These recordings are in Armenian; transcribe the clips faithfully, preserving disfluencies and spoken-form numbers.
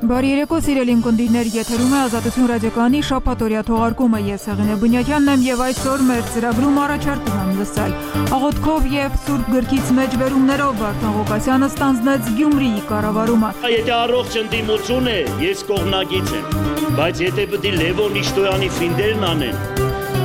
Բարի երեկո, սիրելի ունկնդիրներ, եթերում է Ազատություն ռադիոկայանի շաբաթօրյա թողարկումը։ Ես Հեղինե Բնյակյանն եմ եւ այսօր մեր ծրագրում առաջարկում եմ լսել աղոթքով եւ Սուրբ գրքից մեջբերումներով Վարդան Ղուկասյանը ստանձնեց Գյումրիի կառավարումը։ Եթե առողջ ընդդիմություն է, ես կողմնակից եմ, բայց եթե պետք է Լևոն Իշտոյանի ֆինդերն անեն,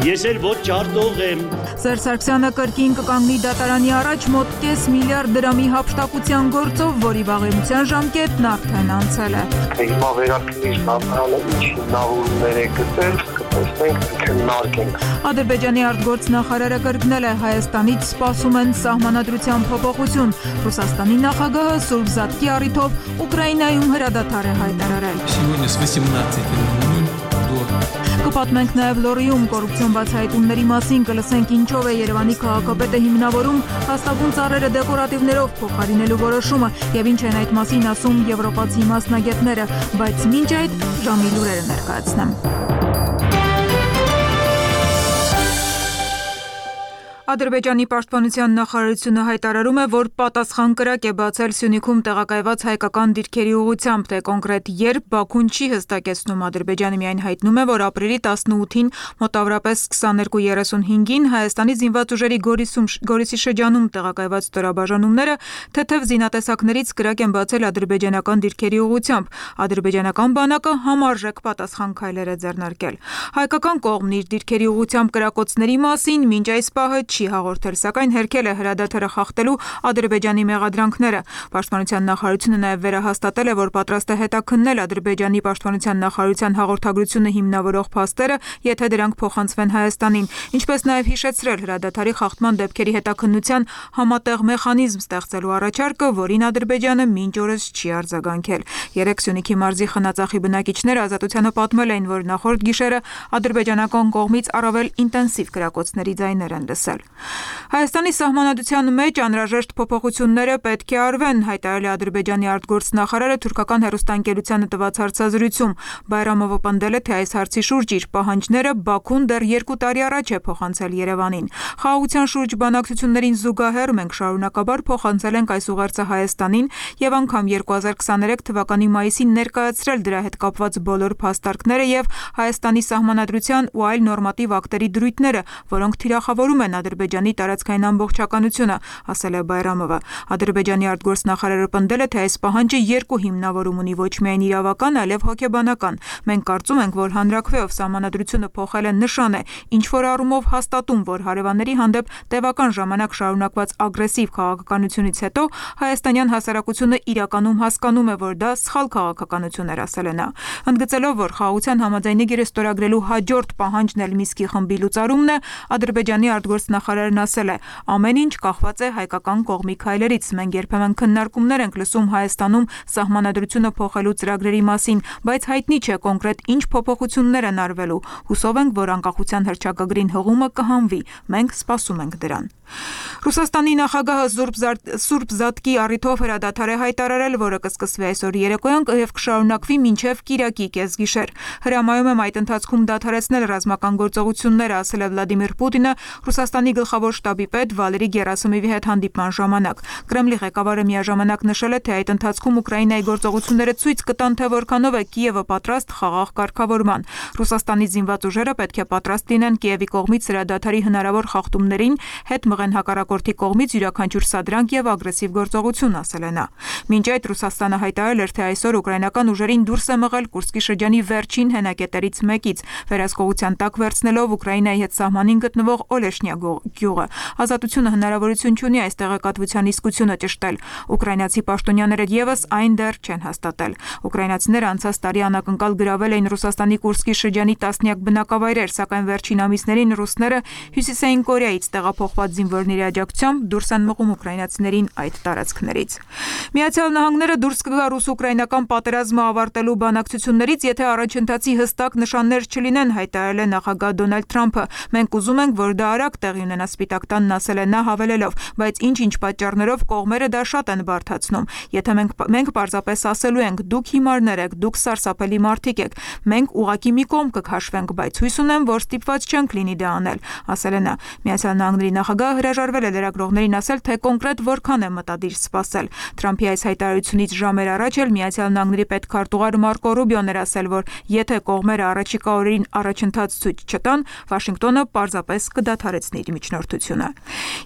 ես էլ ոչ ջարդող եմ։ Սերժ Սարգսյանը կրկին կկանգնի դատարանի առաջ մոտ կես միլիարդ դրամի հափշտակության գործով, որի վաղեմության ժամկետն արդեն անցել է։ Հիմա վերաքննիչն անցյալը ինչ հիմնավորումներ է գտել, կտեսնենք, քննարկենք։ Ադրբեջանի արտգործնախարարը կրկնել է Հայաստանից սպասում են սահմանադրության փոփոխություն։ Ռուսաստանի նախագահը Սուրբ Զատկի առիթով Ուկրաինայում հրադադար է հայտարարել։ Сегодня с восемнадцати ноль ноль до Կպատմենք նաև Լորիում կոռուպցիոն բացահայտումների մասին, կլսենք ինչով է Երևանի քաղաքապետը հիմնավորում հաստատուն ծառերը դեկորատիվներով փոխարինելու որոշումը եւ ինչ են այդ մասին ասում եվրոպացի մասնագետները, բայց մինչ այդ ժամի լուրերը ներկայացնեմ։ Ադրբեջանի պաշտպանության նախարարությունը հայտարարում է, որ պատասխան կրակ է բացել Սյունիքում տեղակայված հայկական դիրքերի ուղղությամբ, թե կոնկրետ երբ Բաքուն չի հստակեցնում։ Ադրբեջանը միայն հայտնում է, որ ապրիլի տասնութին մոտավորապես քսաներկու երեսունհինգին Հայաստանի զինված ուժերի Գորիսում, Գորիսի շրջանում տեղակայված ստորաբաժանումները թեթև զինատեսակներից կրակ են բացել ադրբեջանական դիրքերի ուղղությամբ։ Ադրբեջանական բանակը համարժեք պատասխան քայլեր է ձեռնարկել։ Հայկական կողմն իր դիրքերի ուղղությամբ կրակոցների մասին մինչ այս պահը չի հաղորդել, սակայն հերքել է հրադադարը խախտելու Ադրբեջանի մեղադրանքները։ Պաշտպանության նախարարությունը նաև վերահաստատել է, որ պատրաստ է հետաքննել Ադրբեջանի պաշտպանության նախարարության հաղորդագրությունը հիմնավորող փաստերը, եթե դրանք փոխանցվեն Հայաստանին, ինչպես նաև հիշեցրել հրադադարի խախտման դեպքերի հետաքննության համատեղ մեխանիզմ ստեղծելու առաջարկը, որին Ադրբեջանը մինչ օրս չի արձագանքել։ Երեք Սյունիքի մարզի Խնածախի բնակիչները Ազատությանը պատմել էին, որ նախորդ գիշերը ադրբեջանական կողմից առավել ինտենսիվ կրակոցների ձայներ են լսել։ Հայաստանի սահմանադրության մեջ անհրաժեշտ փոփոխությունները պետք է արվեն, հայտարարել է Ադրբեջանի արտգործնախարարը թուրքական հեռուստաընկերությանը տված հարցազրույցում։ Բայրամովը պնդել է, թե այս հարցի շուրջ իր պահանջները Բաքուն դեռ երկու տարի առաջ է փոխանցել Երևանին։ Խաղաղության շուրջ բանակցություններին զուգահեռ մենք շարունակաբար փոխանցել ենք այս ուղերձը Հայաստանին եւ անգամ երկու հազար քսաներեք թվականի մայիսին ներկայացրել դրա հետ կապված բոլոր փաստարկները եւ Հայաստանի սահմանադրության ու այլ նորմատիվ ակտերի դրույթները, որոնք թիրախավորում են Ադրբեջանի տարածքային ամբողջականությունը, ասել է Բայրամովը։ Ադրբեջանի արտգործնախարարը պնդել է, թե այս պահանջը երկու հիմնավորում ունի, ոչ միայն իրավական, այլև հոգեբանական։ Մենք կարծում ենք, որ հանրաքվեով սահմանադրությունը փոխելը նշան է, ինչ որ առումով հաստատում, որ հարևանների հանդեպ տևական ժամանակ շարունակված ագրեսիվ քաղաքականությունից հետո հայաստանյան հասարակությունը իրականում հասկանում է, որ դա սխալ քաղաքականություն էր, ասել է նա։ Ընդգծելով, որ խաղաղության համաձայնագիրը ստորագրելու հաջորդ պահանջն էլ Միսկի խմբի լուծարումն է, Ադրբեջանի արտգործնախարարն ասել է. ամեն ինչ կախված է հայկական կողմի քայլերից։ Մենք երբեմն քննարկումներ ենք լսում Հայաստանում սահմանադրությունը փոխելու ծրագրերի մասին, բայց հայտնի չէ կոնկրետ ինչ փոփոխություններ են արվելու։ Հուսով ենք, որ անկախության հռչակագրին հղումը կհանվի։ Մենք սպասում ենք դրան։ Ռուսաստանի նախագահը Սուրբ Զատկի առիթով հրադադար է հայտարարել, որը կսկսվի այսօր երեկոյան եւ կշարունակվի մինչեւ կիրակի կեսգիշեր։ Հրամայում եմ այդ ընթացքում դադարեցնել ռազմական գործողությունները, ասել է Վլադիմիր Պուտինը Ռուսաստանի գլխավոր շտաբի պետ Վալերի Գերասիմովի հետ հանդիպման ժամանակ։ Կրեմլի ղեկավարը միաժամանակ նշել է, թե այդ ընթացքում Ուկրաինայի գործողությունները ցույց կտան, թե որքանով է Կիևը պատրաստ խաղաղ կարգավորման։ Ռուսաստանի զինված ուժերը պետք է պատրաստ լինեն Կիևի կողմից հրադադարի հնարավոր խախտումներին, հետ մղեն հակառակորդի կողմից յուրաքանչյուր սադրանք եւ ագրեսիվ գործողություն, ասել է նա։ Մինչ այդ Ռուսաստանը հայտարարել էր, թե այսօր ուկրաինական ուժերին դուրս է մղել Կուրսկի շրջանի վերջին հենակետերից մեկից, վերահսկողության տակ վերցնելով Ուկրաինայի հետ սահմանին գտնվող Օլեշնյա գյուղը։ Ազատությունը հնարավորություն չունի այս տեղեկատվության իսկությունը ճշտել։ Ուկրաինացի պաշտոնյաները եւս այն դեռ չեն հաստատել։ Ուկրաինացիները անցած տարի անակնկալ գրավել էին Ռուսաստանի Կուրսկի շրջանի տասնյակ բնակավայրեր, սակայն վերջին ամիսներին ռուսները Հյուսիսային Կորեայից տեղափոխված զինվորների աջակցությամբ դուրս են մղում ուկրաինացիներին այդ տարածքներից։ Միացյալ Նահանգները դուրս կգա ռուս-ուկրաինական պատերազմը ավարտելու բանակցություններից, եթե առաջընթացի հստակ նշաններ չլինեն, հայտարարել է նախագահ Դոնալդ Թրամփը։ Մենք ուզում ենք, որ դա արագ տեղի տեղի ունենա Սպիտակ տանն, ասել է նա, հավելելով, բայց ինչ-ինչ պատճառներով կողմերը դա շատ են բարդացնում։ Եթե մենք մենք պարզապես ասելու ենք, դուք հիմարներ եք, դուք սարսափելի մարդիկ եք, մենք ուղղակի մի կողմ կքաշվենք, բայց հույս ունեմ, որ ստիպված չենք լինի դա անել, ասել է նա։ Միացյալ Նահանգների նախագահը հրաժարվել է լրագրողներին ասել, թե կոնկրետ որքան է մտադիր սպասել։ Թրամփի այս հայտարարությունից ժամեր առաջ էլ Միացյալ Նահանգների պետքարտուղար Մարկո Ռուբիոն էր ասել, որ եթե կողմերը առաջիկա օրերին առաջընթաց ցույց չտան, Վաշինգտոնը պարզապես կդադարեցնի իր միջնորդությունը։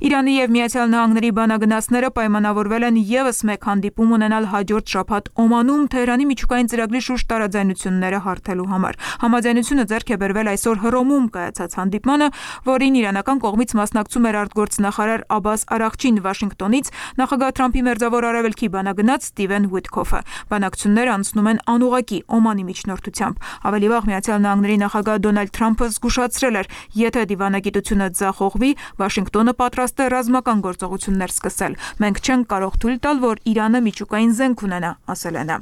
Իրանի եւ Միացյալ Նահանգների բանագնացները պայմանավորվել են եւս մեկ հանդիպում ունենալ հաջորդ շաբաթ Օմանում Թեհրանի միջուկային ծրագրի շուրջ տարաձայնությունները հարթելու համար։ Համաձայնությունը ձեռք է բերվել այսօր Հռոմում կայացած հանդիպմանը, որին իրանական կողմից մասնակցում էր արտգործնախարար Աբբաս Արաղչին, Վաշինգտոնից նախագահ Թրամփի մերձավոր արևելքի բանագնաց Ստիվեն Ուիթքոֆը։ Բանակցությունները անցնում են անուղղակի Օմանի միջնորդությամբ։ Ավելի վաղ Միացյալ Նահանգների նախագահ Դոնալդ Թրամփը զգուշացրել էր, եթե դիվանագիտությունը ձախողվի, Վաշինգտոնը պատրաստ է ռազմական գործողություններ սկսել։ Մենք չենք կարող թույլ տալ, որ Իրանը միջուկային զենք ունենա, ասել է նա։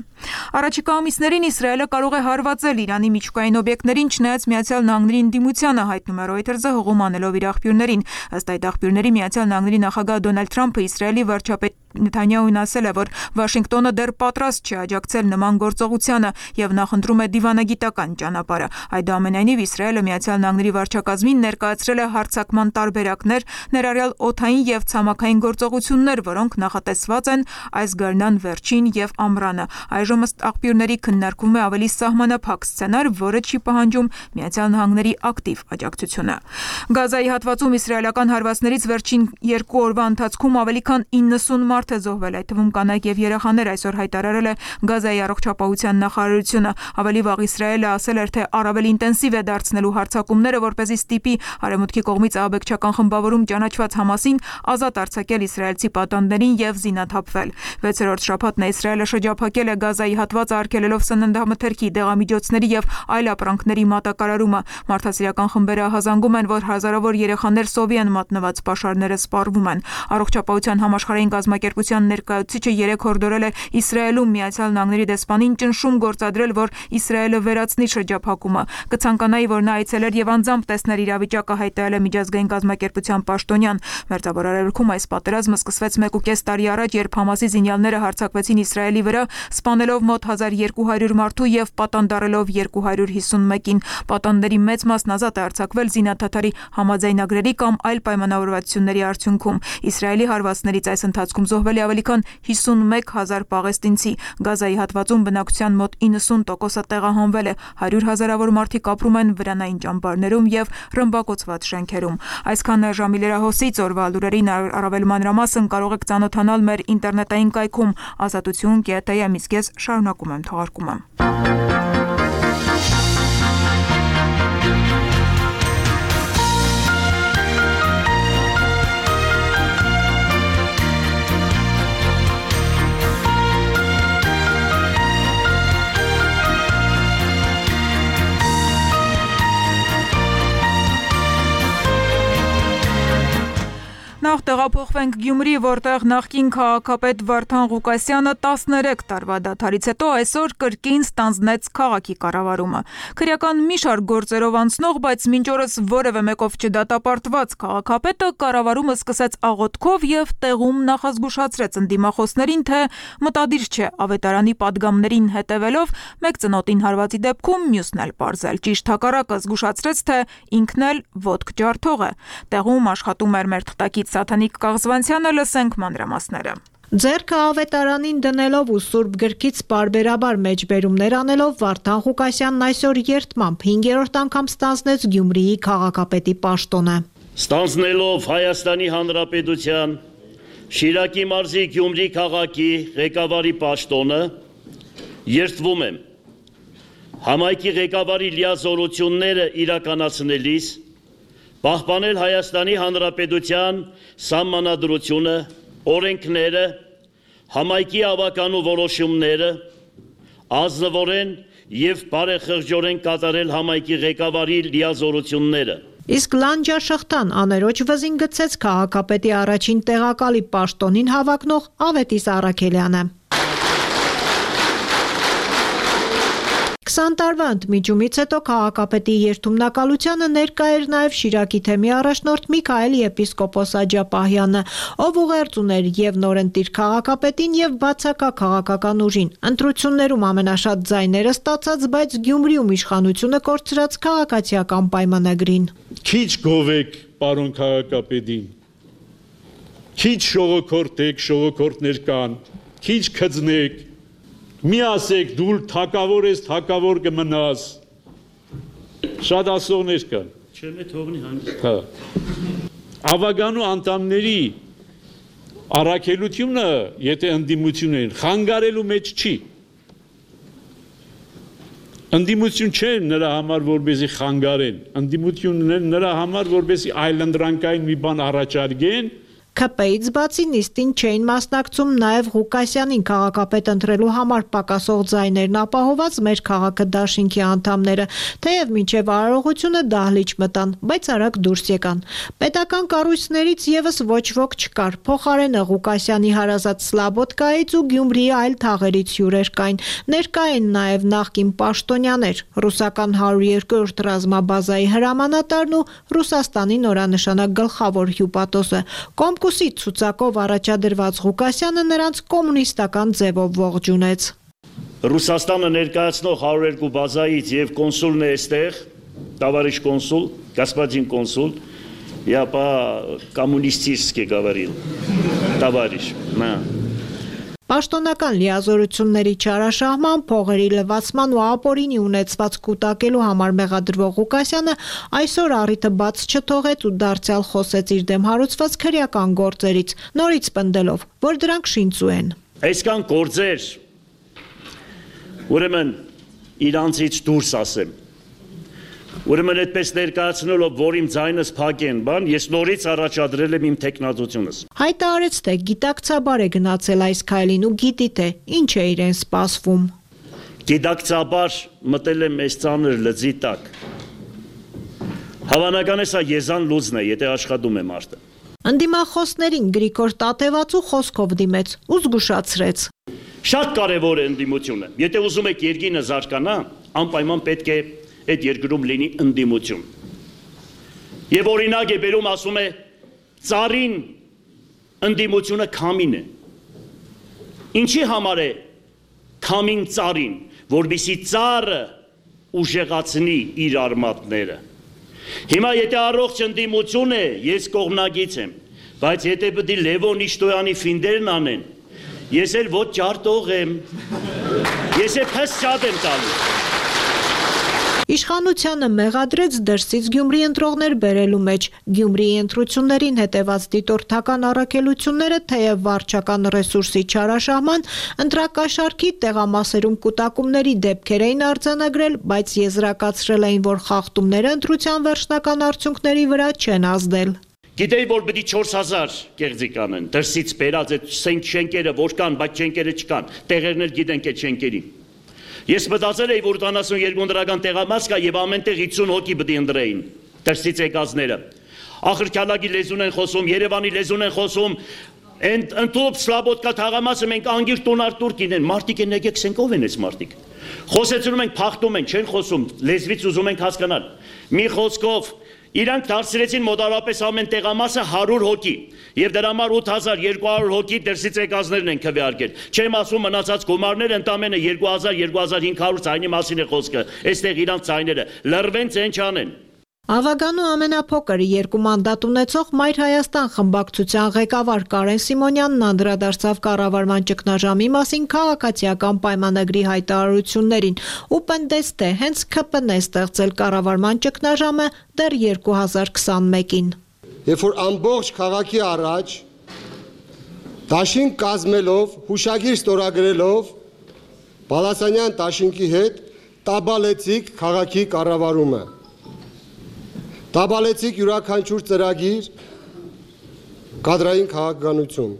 Առաջիկա ամիսներին Իսրայելը կարող է հարվածել Իրանի միջուկային օբյեկտներին, չնայած Միացյալ Նահանգների ընդդիմությանը, հայտնում է Reuters-ը հողում անելով իր աղբյուրներին։ Ըստ այդ աղբյուրների Միացյալ Նահանգների նախագահ Դոնալդ Թրամփը Իսրայելի վարչապետ Նեթանյահուն ասել է, որ Վաշինգտոնը դեռ պատրաստ չէ աջակցել նման գործողությանը եւ նախընտրում է դիվանագիտական ճանապարհը։ Այդուամենայնիվ Իսրայելը Միացյալ Նահանգների վարչակազմին ներկայացրել է հարձակման տարբերակներ, ներառյալ օդային եւ ցամաքային գործողություններ, որոնք նախատեսված են այս գարնան վերջին եւ ամռանը։ Այժմ ըստ աղբյուրների քննարկվում է ավելի սահմանափակ սցենար, որը չի պահանջում Միացյալ Նահանգների ակտիվ աջակցությունը։ Գազայի հատվածում իսրայելական հարվածներից վերջին երկու օրվա ընթացքում ավելի քան իննսուն մարդ է զոհվել, այդ թվում կանայք եւ երեխաներ, այսօր հայտարարել է Գազայի առողջապահության նախարարությունը։ Ավելի վաղ Իսրայելը ասել էր, թե առավել ինտենսիվ է դարձնելու հարձակումները, որպեսզի ստիպի արևմուտքի կողմից ահաբեկչական խմբավորում ճանաչված Համասին ազատ արձակել իսրայելցի պատանդներին եւ զինաթափվել։ վեցերորդ շաբաթն է Իսրայելը շրջափակել է Գազայի հատվածը, արգելելով սննդամթերքի, դեղամիջոցների եւ այլ ապրանքների մատակարարումը։ Մարդասիրական խմբերը հազանգում են, որ հազարավոր երեխաներ սովի են մատնված, պաշարները սպառվում են։ Առողջապահության համաշխարհային կազմակերպության ներկայացուցիչը երեկ հորդորել է Իսրայելում Միացյալ Նահանգների դեսպանին ճնշում գործադրել, որ Իսրայելը վերացնի շրջափակումը։ Կցանկանայի, որ նա այցելեր եւ անձամբ տեսներ իրավիճակը, հայտարարել է միջազգային կազմակերպության պաշտոնյան։ Մերձավոր Արևելքում այս պատերազմը սկսվեց մեկ ու կես տարի առաջ, երբ Համասի զինյալները հարձակվեցին Իսրայելի վրա, սպանելով մոտ հազար երկու հարյուր մարդու եւ պատանդարելով երկու հարյուր հիսունմեկին։ Պատանդների մեծ մասն ազատ է արձակվել զինադադարի համաձայնագրերի կամ այլ պայմանավորվածությունների արդյունքում։ Իսրայելի հարվածներից այս ընթացքում զոհվել է ավելի քան հիսունմեկ հազար պաղեստինցի։ Գազայի հատվածում բնակչության մոտ իննսուն տոկոսը տեղահանվել է, հարյուր հազարավոր մարդիկ ապրում են վրանային ճամբարներում եւ ռմբակոծված շենքերում։ Այսքան ժամի լրահոսից օրվա լուրերին առավել մանրամասն կարող եք ծանոթանալ մեր ինտերնետային կայքում ազատություն կետ է, իսկ ես շարունակում եմ թողարկումը։ Նախ տեղափոխվենք Գյումրի, որտեղ նախկին քաղաքապետ Վարդան Ղուկասյանը տասներեք տարվա դադարից հետո այսօր կրկին ստանձնեց քաղաքի կառավարումը։ Քրեական մի շարք գործերով անցնող, բայց մինչ օրս որևէ մեկով չդատապարտված քաղաքապետը կառավարումը սկսեց աղոթքով եւ տեղում նախազգուշացրեց ընդդիմախոսներին, թե մտադիր չէ ավետարանի падգամներին հետևելով մեկ ծնոտին հարվածի դեպքում մյուսն էլ պարզել։ Ճիշտ հակառակը զգուշացրեց, թե ինքն էլ ոտք ջարդող է։ Տեղում աշխատում էր մեր թղթակից Սաթանիկ Կաղզվանցյանը, լսենք մանրամասները։ Ձեռքը ավետարանին դնելով ու Սուրբ գրքից պարբերաբար մեջբերումներ անելով Վարդան Ղուկասյանն այսօր երդմամբ հինգերորդ անգամ ստանձնեց Գյումրիի քաղաքապետի պաշտոնը։ Ստանձնելով Հայաստանի Հանրապետության Շիրակի մարզի Գյումրի քաղաքի ղեկավարի պաշտոնը, երդվում եմ համայնքի ղեկավարի լիազորությունները իրականացնելիս պահպանել Հայաստանի Հանրապետության սահմանադրությունը, օրենքները, համայնքի ավականու որոշումները, ազնվորեն եւ բարեխղճորեն կատարել համայնքի ղեկավարի լիազորությունները։ Իսկ լանջաշղթան աներոջ վզին գցեց քաղաքապետի առաջին տեղակալի պաշտոնին հավակնող Ավետիս Առաքելյանը։ քսան տարվա ընդմիջումից հետո քաղաքապետի երթումնակալությանը ներկա էր նաև Շիրակի թեմի առաջնորդ Միքայել եպիսկոպոս Աջապահյանը, ով ուղերձ ուներ եւ նորընտիր քաղաքապետին եւ բացակա քաղաքական ուժին։ Ընտրություններում ամենաշատ ձայները ստացած, բայց Գյումրիում իշխանությունը կորցրած քաղաքացիական պայմանագրին։ Քիչ գովեք, պարոն քաղաքապետին։ Քիչ շողոքորտեք, շողոքորտներ կան, քիչ քծնեք։ Մի ասեք, դու թակավոր ես, թակավոր կմնաս։ Շատ ասողներ կան։ Չեմ է թողնի հանգիստ։ Հա։ Ավագանու անդամների առաքելությունը, եթե ընդդիմություն են, խանգարելու մեջ չի։ Ընդդիմություն չեն նրա համար, որպեսզի խանգարեն, ընդդիմությունն են նրա համար, որպեսզի այլընտրանքային մի բան առաջարկեն։ Ք П-ից բացի նիստին չէին մասնակցում նաև Ղուկասյանին քաղաքապետ ընտրելու համար պակասող ձայներն ապահոված մեր քաղաքը դաշինքի անդամները, թեև մինչև արարողությունը դահլիճ մտան, բայց արագ դուրս եկան։ Պետական կառույցներից եւս ոչ ոք չկար, փոխարենը Ղուկասյանի հարազատ Սլաբոդկայից ու Գյումրիի այլ թաղերից հյուրեր կային, ներկա են նաև նախկին պաշտոնյաներ, ռուսական հարյուր երկրորդ ռազմաբազայի հրամանատարն ու Ռուսաստանի նորանշանակ գլխավոր հյուպատոսը։ Կոմկուսի ցուցակով առաջադրված Ղուկասյանը նրանց կոմունիստական ձևով ողջունեց։ Ռուսաստանը ներկայացնող հարյուր երկու բազայից եւ կոնսուլն է այստեղ, товарищ консул, господин консул, я по-коммунистически говорил, товарищ, на. Պաշտոնական լիազորությունների չարաշահման, փողերի լվացման ու ապօրինի ունեցված կուտակելու համար մեղադրվող Ղուկասյանը այսօր առիթը բաց չթողեց ու դարձյալ խոսեց իր դեմ հարուցված քրեական գործերից, նորից պնդելով, որ դրանք շինծու են։ Այսքան գործեր, ուրեմն իրանցից դուրս ասեմ, ուրեմն այդպես ներկայացնելով, որ իմ ձայնս փակեն, բան, ես նորից առաջադրել եմ իմ տեխնատությունս։ Հայտարարեց, թե գիտակցաբար է գնացել այս քայլին ու գիտի թե ինչ է իրեն սպասվում։ Գիտակցաբար մտել եմ այս ծանր լծի տակ։ Հավանական է սա եզան լուծն է, եթե աշխատում է մարդը։ Ընդդիմախոսներին Գրիգոր Տատևացու խոսքով դիմեց ու զգուշացրեց։ Շատ կարևոր է ընդդիմությունը։ Եթե ուզում եք երկինը զարգանա, անպայման պետք է այդ երկրում լինի ընդդիմություն։ Եվ օրինակ է բերում, ասում է, ծառին ընդդիմությունը քամին է։ Ինչի համար է քամին ծառին, որպեսզի ծառը ուժեղացնի իր արմատները։ Հիմա եթե առողջ ընդդիմություն է, ես կողմնակից եմ, բայց եթե պետք է Լևոն Իշտոյանի ֆինդերն անեն, ես էլ ոչ ջարտող եմ, ես էլ փես շատ եմ տալու։ Իշխանությանը մեղադրեց դրսից Գյումրի ընտրողներ բերելու մեջ։ Գյումրիի ընտրություններին հետևած դիտորդական առաքելությունները թեև վարչական ռեսուրսի չարաշահման, ընտրակաշարքի տեղամասերում կուտակումների դեպքեր էին արձանագրել, բայց եզրակացրել էին, որ խախտումները ընտրության վերջնական արդյունքների վրա չեն ազդել։ Գիտեի, որ պետք է չորս հազար կեղծիք անեն, դրսից բերած այդ շենքերը որ կան, բայց շենքերը չկան, տեղերն էլ գիտենք այդ շենքերին։ Ես մտածել էի, որ ութանասունյոթ ընտրական տեղամաս կա եւ ամենտեղ հիսուն հոգի պետք է ընտրեին, դրսից եկածները։ Ախրքալագի լեզուն են խոսում, Երևանի լեզուն են խոսում, այն ընդཐུպ Սլաբոդկա թաղամասը մենք անգիր տոնար турքին են, մարդիկ են եկեք սենք ով են այս մարդիկ։ Խոսեցնում ենք, փախտում են, չեն խոսում, լեզվից ուզում ենք հասկանալ։ Մի խոսքով իրանք դարձրեցին մոտարապես ամեն տեղամասը հարյուր հոգի եւ դրա համար ութ հազար երկու հարյուր հոգի դրսից եկածներն են քվեարկել։ Չեմ ասում մնացած գումարները ընդամենը երկու հազար երկու հազար հինգ հարյուր ցայնի մասին է խոսքը։ Այստեղ իրանք ցայները լրվեն ցեն չանեն։ Ավագանու ամենափոքր երկու մանդատ ունեցող Մայր Հայաստան խմբակցության ղեկավար Կարեն Սիմոնյանն անդրադարձավ կառավարման ճգնաժամի մասին քաղաքացիական պայմանագրի հայտարարություններին ու պնդեց, թե հենց Ք П-ն է ստեղծել կառավարման ճգնաժամը դեռ երկու հազար քսանմեկին։ Երբ որ ամբողջ քաղաքի առաջ դաշինք կազմելով, հուշագիր ստորագրելով Բալասանյան դաշինքի հետ տաբալեցիք քաղաքի կառավարումը։ Տաբալեցիք յուրաքանչյուր ծրագիր, կադրային քաղաքականություն։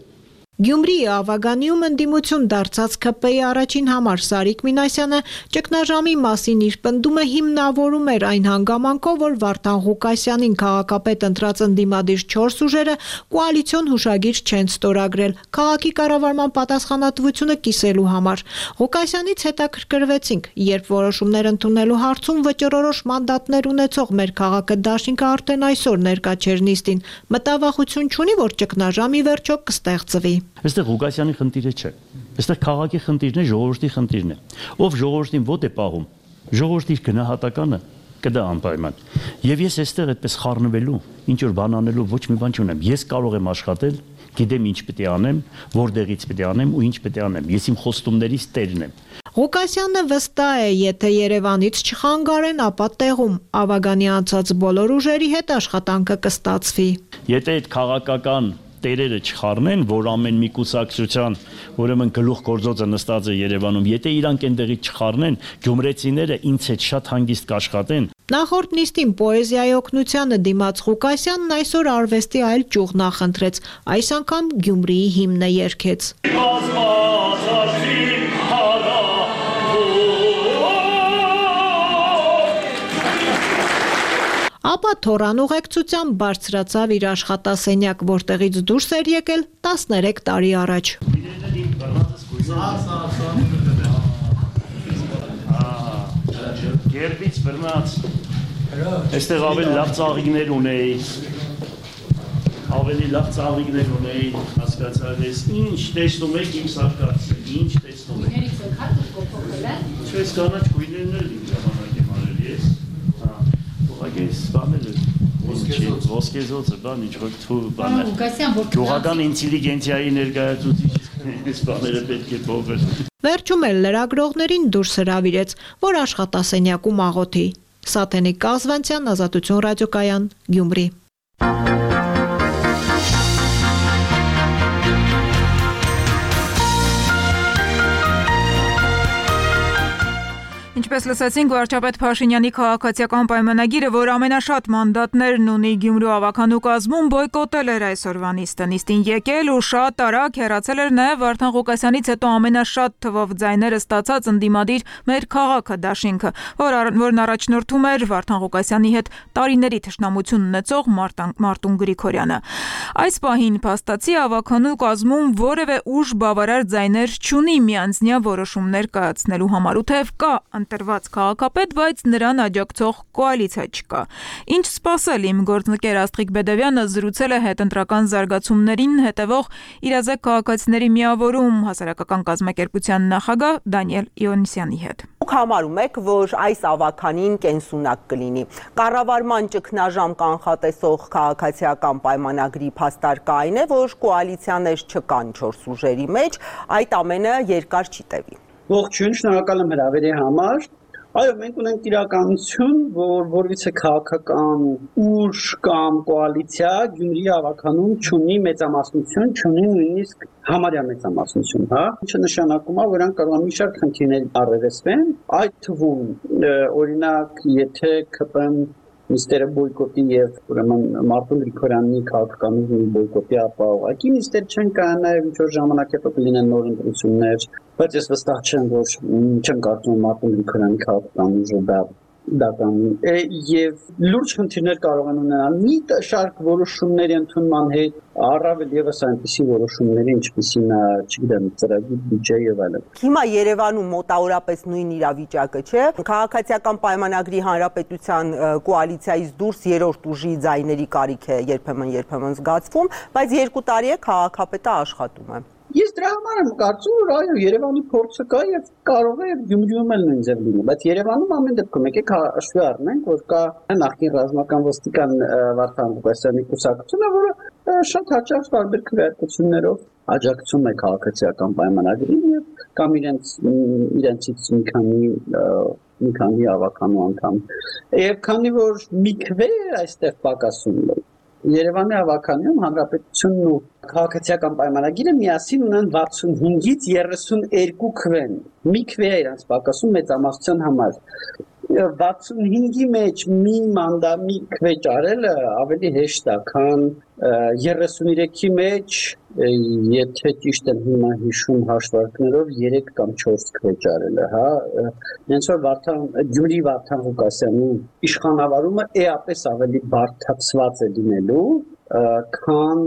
Գյումրիի Ավագանիում ընդդիմություն դարձած K P-ի առաջին համար Սարիկ Մինասյանը ճգնաժամի մասին իր պնդումը հիմնավորում էր այն հանգամանքով, որ Վարդան Ղուկասյանին քաղաքապետ ընտրած ընդդիմադիր չորս ուժերը կոալիցիոն հուշագիր չեն ստորագրել քաղաքի կառավարման պատասխանատվությունը կիսելու համար։ Ղուկասյանից հետաքրքրվեցինք, երբ որոշումներ ընդունելու հարցում վճռորոշ մանդատներ ունեցող մեր քաղաքը դաշինքը արդեն այսօր ներկա չէր նիստին, մտավախություն չունի, որ ճգնաժամի վերջո կստեղծվի։ Այստեղ Ղուկասյանի խնդիրը չէ։ Այստեղ քաղաքի խնդիրն է, ժողովրդի խնդիրն է։ Ով ժողովրդին ոտ է պահում, ժողովրդի իր գնահատականը կդա անպայման։ Եվ ես այստեղ այդպես խառնվելու, ինչ որ բան անելու ոչ մի բան չունեմ։ Ես կարող եմ աշխատել, գիտեմ ինչ պետք է անեմ, որտեղից պետք է անեմ ու ինչ պետք է անեմ։ Ես իմ խոստումներից տերն եմ։ Ղուկասյանը վստահ է, եթե Երևանից չխանգարեն, ապա տեղում Ավագանի անցած բոլոր ուժերի հետ աշխատանքը կստացվի։ Եթե այդ քաղաքական տերերը չխառնեն, որ ամեն մի կուսակցության, ուրեմն գլուխ գործոցը նստած է Երևանում, եթե իրանք այնտեղից չխառնեն, գյումրեցիները ինձ հետ շատ հանգիստ կաշխատեն։ Նախորդ նիստին պոեզիայի օգնությանը դիմաց Ղուկասյանն այսօր արվեստի այլ ճյուղ նախընտրեց, այս անգամ Գյումրիի հիմնը երգեց։ Ապա թորան ուղեկցությամբ բարձրացավ իր աշխատասենյակ, որտեղից դուրս էր եկել տասներեք տարի առաջ։ Գերբից բռնած, այստեղ ավելի լավ ծաղիկներ ունեի, ավելի լավ ծաղիկներ ունեի, հասկացար ես, ինչ տեսնում եք իմ սարկացը, ինչ տեսնում եք։ Չես կանաչ գույներն էլ իմ ժամանակ եմ արել ես, ուղղակի սպանել է, ոսկեզոցը, բան, ինչ որ թու բան է, գյուղական ինտելիգենցիայի ներկայացուցիչ, սպաները պետք է փոխել։ Վերջում էլ լրագրողներին դուրս հրավիրեց, որ աշխատասենյակում աղոթի։ Սաթենիկ Կազվանցյան, Ազատություն ռադիոկայան, Գյումրի։ Ինչպես լսեցինք, վարչապետ Փաշինյանի քաղաքացիական պայմանագիրը, որ ամենաշատ մանդատներն ունի Գյումրու ավականու կազմում, բոյկոտել էր այսօրվա նիստը։ Նիստին եկել ու շատ արագ հեռացել էր նաև Վարդան Ղուկասյանից հետո ամենաշատ թվով ձայները ստացած ընդդիմադիր մեր քաղաքը դաշինքը, որն առաջնորդում էր Վարդան Ղուկասյանի հետ տարիների թշնամություն ունեցող Մարտուն Գրիգորյանը։ Այս պահին փաստացի ավականու կազմում որևէ ուժ բավարար ձայներ չունի միանձնյա որոշումներ կայացնելու համար, ու թեև կա ընտրված քաղաքապետ, բայց նրան աջակցող կոալիցիա չկա։ Ինչ սպասել, իմ գործընկեր Աստղիկ Բեդևյանը զրուցել է հետընտրական զարգացումներին հետևող իրազեկ քաղաքացիների միավորում հասարակական կազմակերպության նախագահ Դանիել Իոնիսյանի հետ։ Դուք համարում եք, որ այս ավականին կենսունակ կլինի։ Կառավարման ճգնաժամ կանխատեսող քաղաքացիական պայմանագրի փաստարկը այն է, որ կոալիցիաներ չկան չորս ուժերի մեջ, այդ ամենը երկար չի տևի։ Ողջույն, շնորհակալ եմ հրավերի համար։ Այո, մենք ունենք իրականություն, որ որևիցե քաղաքական ուժ կամ կոալիցիա Գյումրիի ավականում չունի մեծամասնություն, չունի նույնիսկ համարյա մեծամասնություն, հա, ինչը նշանակում է, որ նրանք կարող են մի շարք խնդիրներ առերեսվեն, այդ թվում օրինակ, եթե K P-ն նիստերը բոյկոտի եւ ուրեմն Մարտուն Գրիգորյանի քաղաքականությունը բոյկոտի ապա ուղղակի նիստեր չեն կանա եւ ինչ որ ժամանակ հետո կլինեն նոր ընտրություններ, բայց ես վստահ չեմ, որ չեմ կարծում Մարտուն Գրիգորյանի քաղաքականությունը դա դա կանի եւ լուրջ խնդիրներ կարող են ունենալ մի շարք որոշումների ընդունման հետ, առավել եւս այնպիսի որոշումների, ինչպիսին է, չգիտեմ, ծրագիր, բյուջե եւ այլն։ Հիմա Երևանում մոտավորապես նույն իրավիճակը չէ։ Քաղաքացիական պայմանագրի հանրապետության կոալիցիայից դուրս երրորդ ուժի ձայների կարիք է երբեմն-երբեմն զգացվում, բայց երկու տարի է քաղաքապետը աշխատում է։ Ես դրա համար եմ կարծում, որ այո, Երևանի փորձը կա եւ կարող է Գյումրիում էլ նույն ձև լինի, բայց Երևանում ամեն դեպքում եկեք հաշվի առնենք, որ կա նախկին ռազմական ոստիկան Վարդան Ղուկասյանի կուսակցությունը, որը շատ հաճախ տարբեր քվեարկություններով աջակցում է քաղաքացիական պայմանագրին եւ կամ իրենց իրենցից մի քանի մի քանի ավականու անդամ։ Եվ քանի որ մի քվե այստեղ պակասում է Երևանի ավականիում հանրապետությունն ու քաղաքացիական պայմանագիրը միասին ունեն վաթսունհինգից երեսուներկու քվեն։ Մի քվե է իրանց պակասում մեծամասնության համար։ վաթսունհինգի մեջ մի մանդամի քվեճ արելը ավելի հեշտ է, քան երեսուններեքի մեջ, եթե ճիշտ եմ հիմա հիշում հաշվարկներով երեք կամ չորս քվեճ արելը, հա, հենց որ Վարդան Գյումրի Վարդան Ղուկասյանի իշխանավարումը էապես ավելի բարդացված է լինելու, քան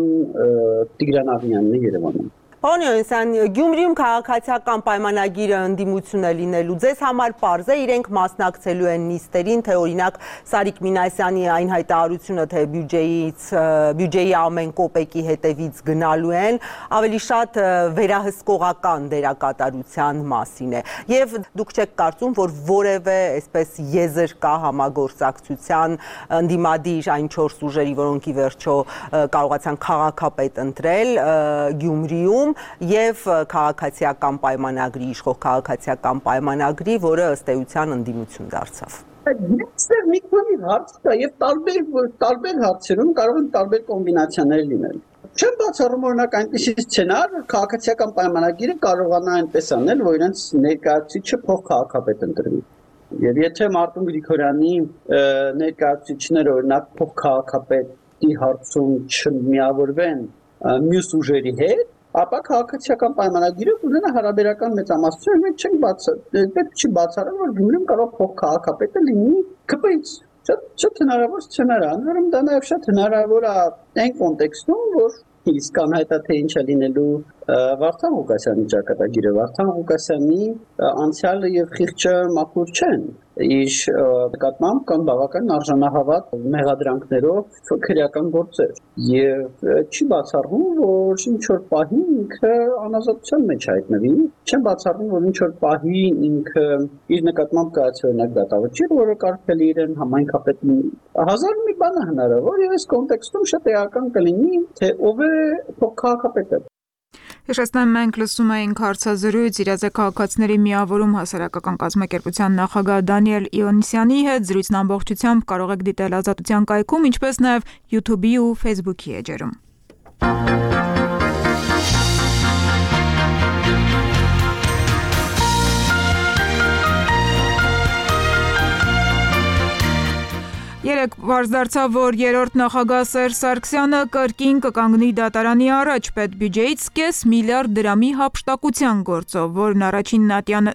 Տիգրան Աղինյանն է Երևանում։ Պարոն Յովհաննիսյան, Գյումրիում քաղաքացիական պայմանագիրը ընդդիմություն է լինելու, ձեզ համար պարզ է իրենք մասնակցելու են նիստերին, թե օրինակ Սարիկ Մինասյանի այն հայտարարությունը, թե բյուջեից, բյուջեի ամեն կոպեկի հետևից գնալու են, ավելի շատ վերահսկողական դերակատարության մասին է։ Եվ դուք չեք կարծում, որ որևէ այսպես եզր կա համագործակցության ընդդիմադիր այն չորս ուժերի, որոնք ի վերջո կարողացան քաղաքապետ ընտրել Գյումրիում եւ քաղաքացիական պայմանագրի, իշխող քաղաքացիական պայմանագրի, որը ըստ էության ընդդիմություն դարձավ։ Այստեղ մի քանի հարց կա եւ տարբեր տարբեր հարցերում կարող են տարբեր կոմբինացիաներ լինել։ Չեմ բացառում օրինակ այնպիսի սցենար, որ քաղաքացիական պայմանագիրը կարողանա այնպես անել, որ իրենց ներկայացուցիչը փող քաղաքապետ ընտրվի։ Եվ եթե Մարտուն Գրիգորյանի ներկայացուցիչները օրինակ փող քաղաքապետի հարցում չմիավորվեն մյուս ուժերի հետ, ապա քաղաքացիական պայմանագիրը ունենա հարաբերական մեծամասնություն, մենք չենք բացառում, պետք չի բացառել, որ Գյումրիում կարող փող քաղաքապետը լինի ԿՊ-ից։ Շատ հնարավոր սցենար է, ուրեմն դա նաև շատ հնարավոր է այն կոնտեքստում, որ իսկան հայտա թե ինչ է լինելու Վարդան Ղուկասյանի ճակատագիրը, Վարդան Ղուկասյանի անցյալը եւ խիղճը մաքուր չեն, իր նկատմամբ կան բավական արժանահավատ մեղադրանքներով քրեական գործեր եւ չի բացառվում, որ ինչ որ պահի ինքը անազատության մեջ հայտնվի, չեմ բացառվում, որ ինչ որ պահի ինքը իր նկատմամբ կայացի օրինակ դատավճիռ, որը կարգել իրեն համայնքապետ հազար մի բան է հնարավոր եւ այս կոնտեքստում շատ էական կլինի, թե ով է քաղաքապետը։ Հիշեցնեմ, մենք լսում էինք հարցազրույց իրազեկ քաղաքացիների միավորում հասարակական կազմակերպության նախագահ Դանիել Իոնիսյանի հետ, զրույցն ամբողջությամբ կարող եք դիտել Ազատության կայքում, ինչպես նաև YouTube-ի ու Facebook-ի էջերում։ Երեկ պարզ դարձավ, որ երրորդ նախագահ Սերժ Սարգսյանը կրկին կկանգնի դատարանի առաջ պետբյուջեից կես միլիարդ դրամի հափշտակության գործով, որն առաջին ատյան,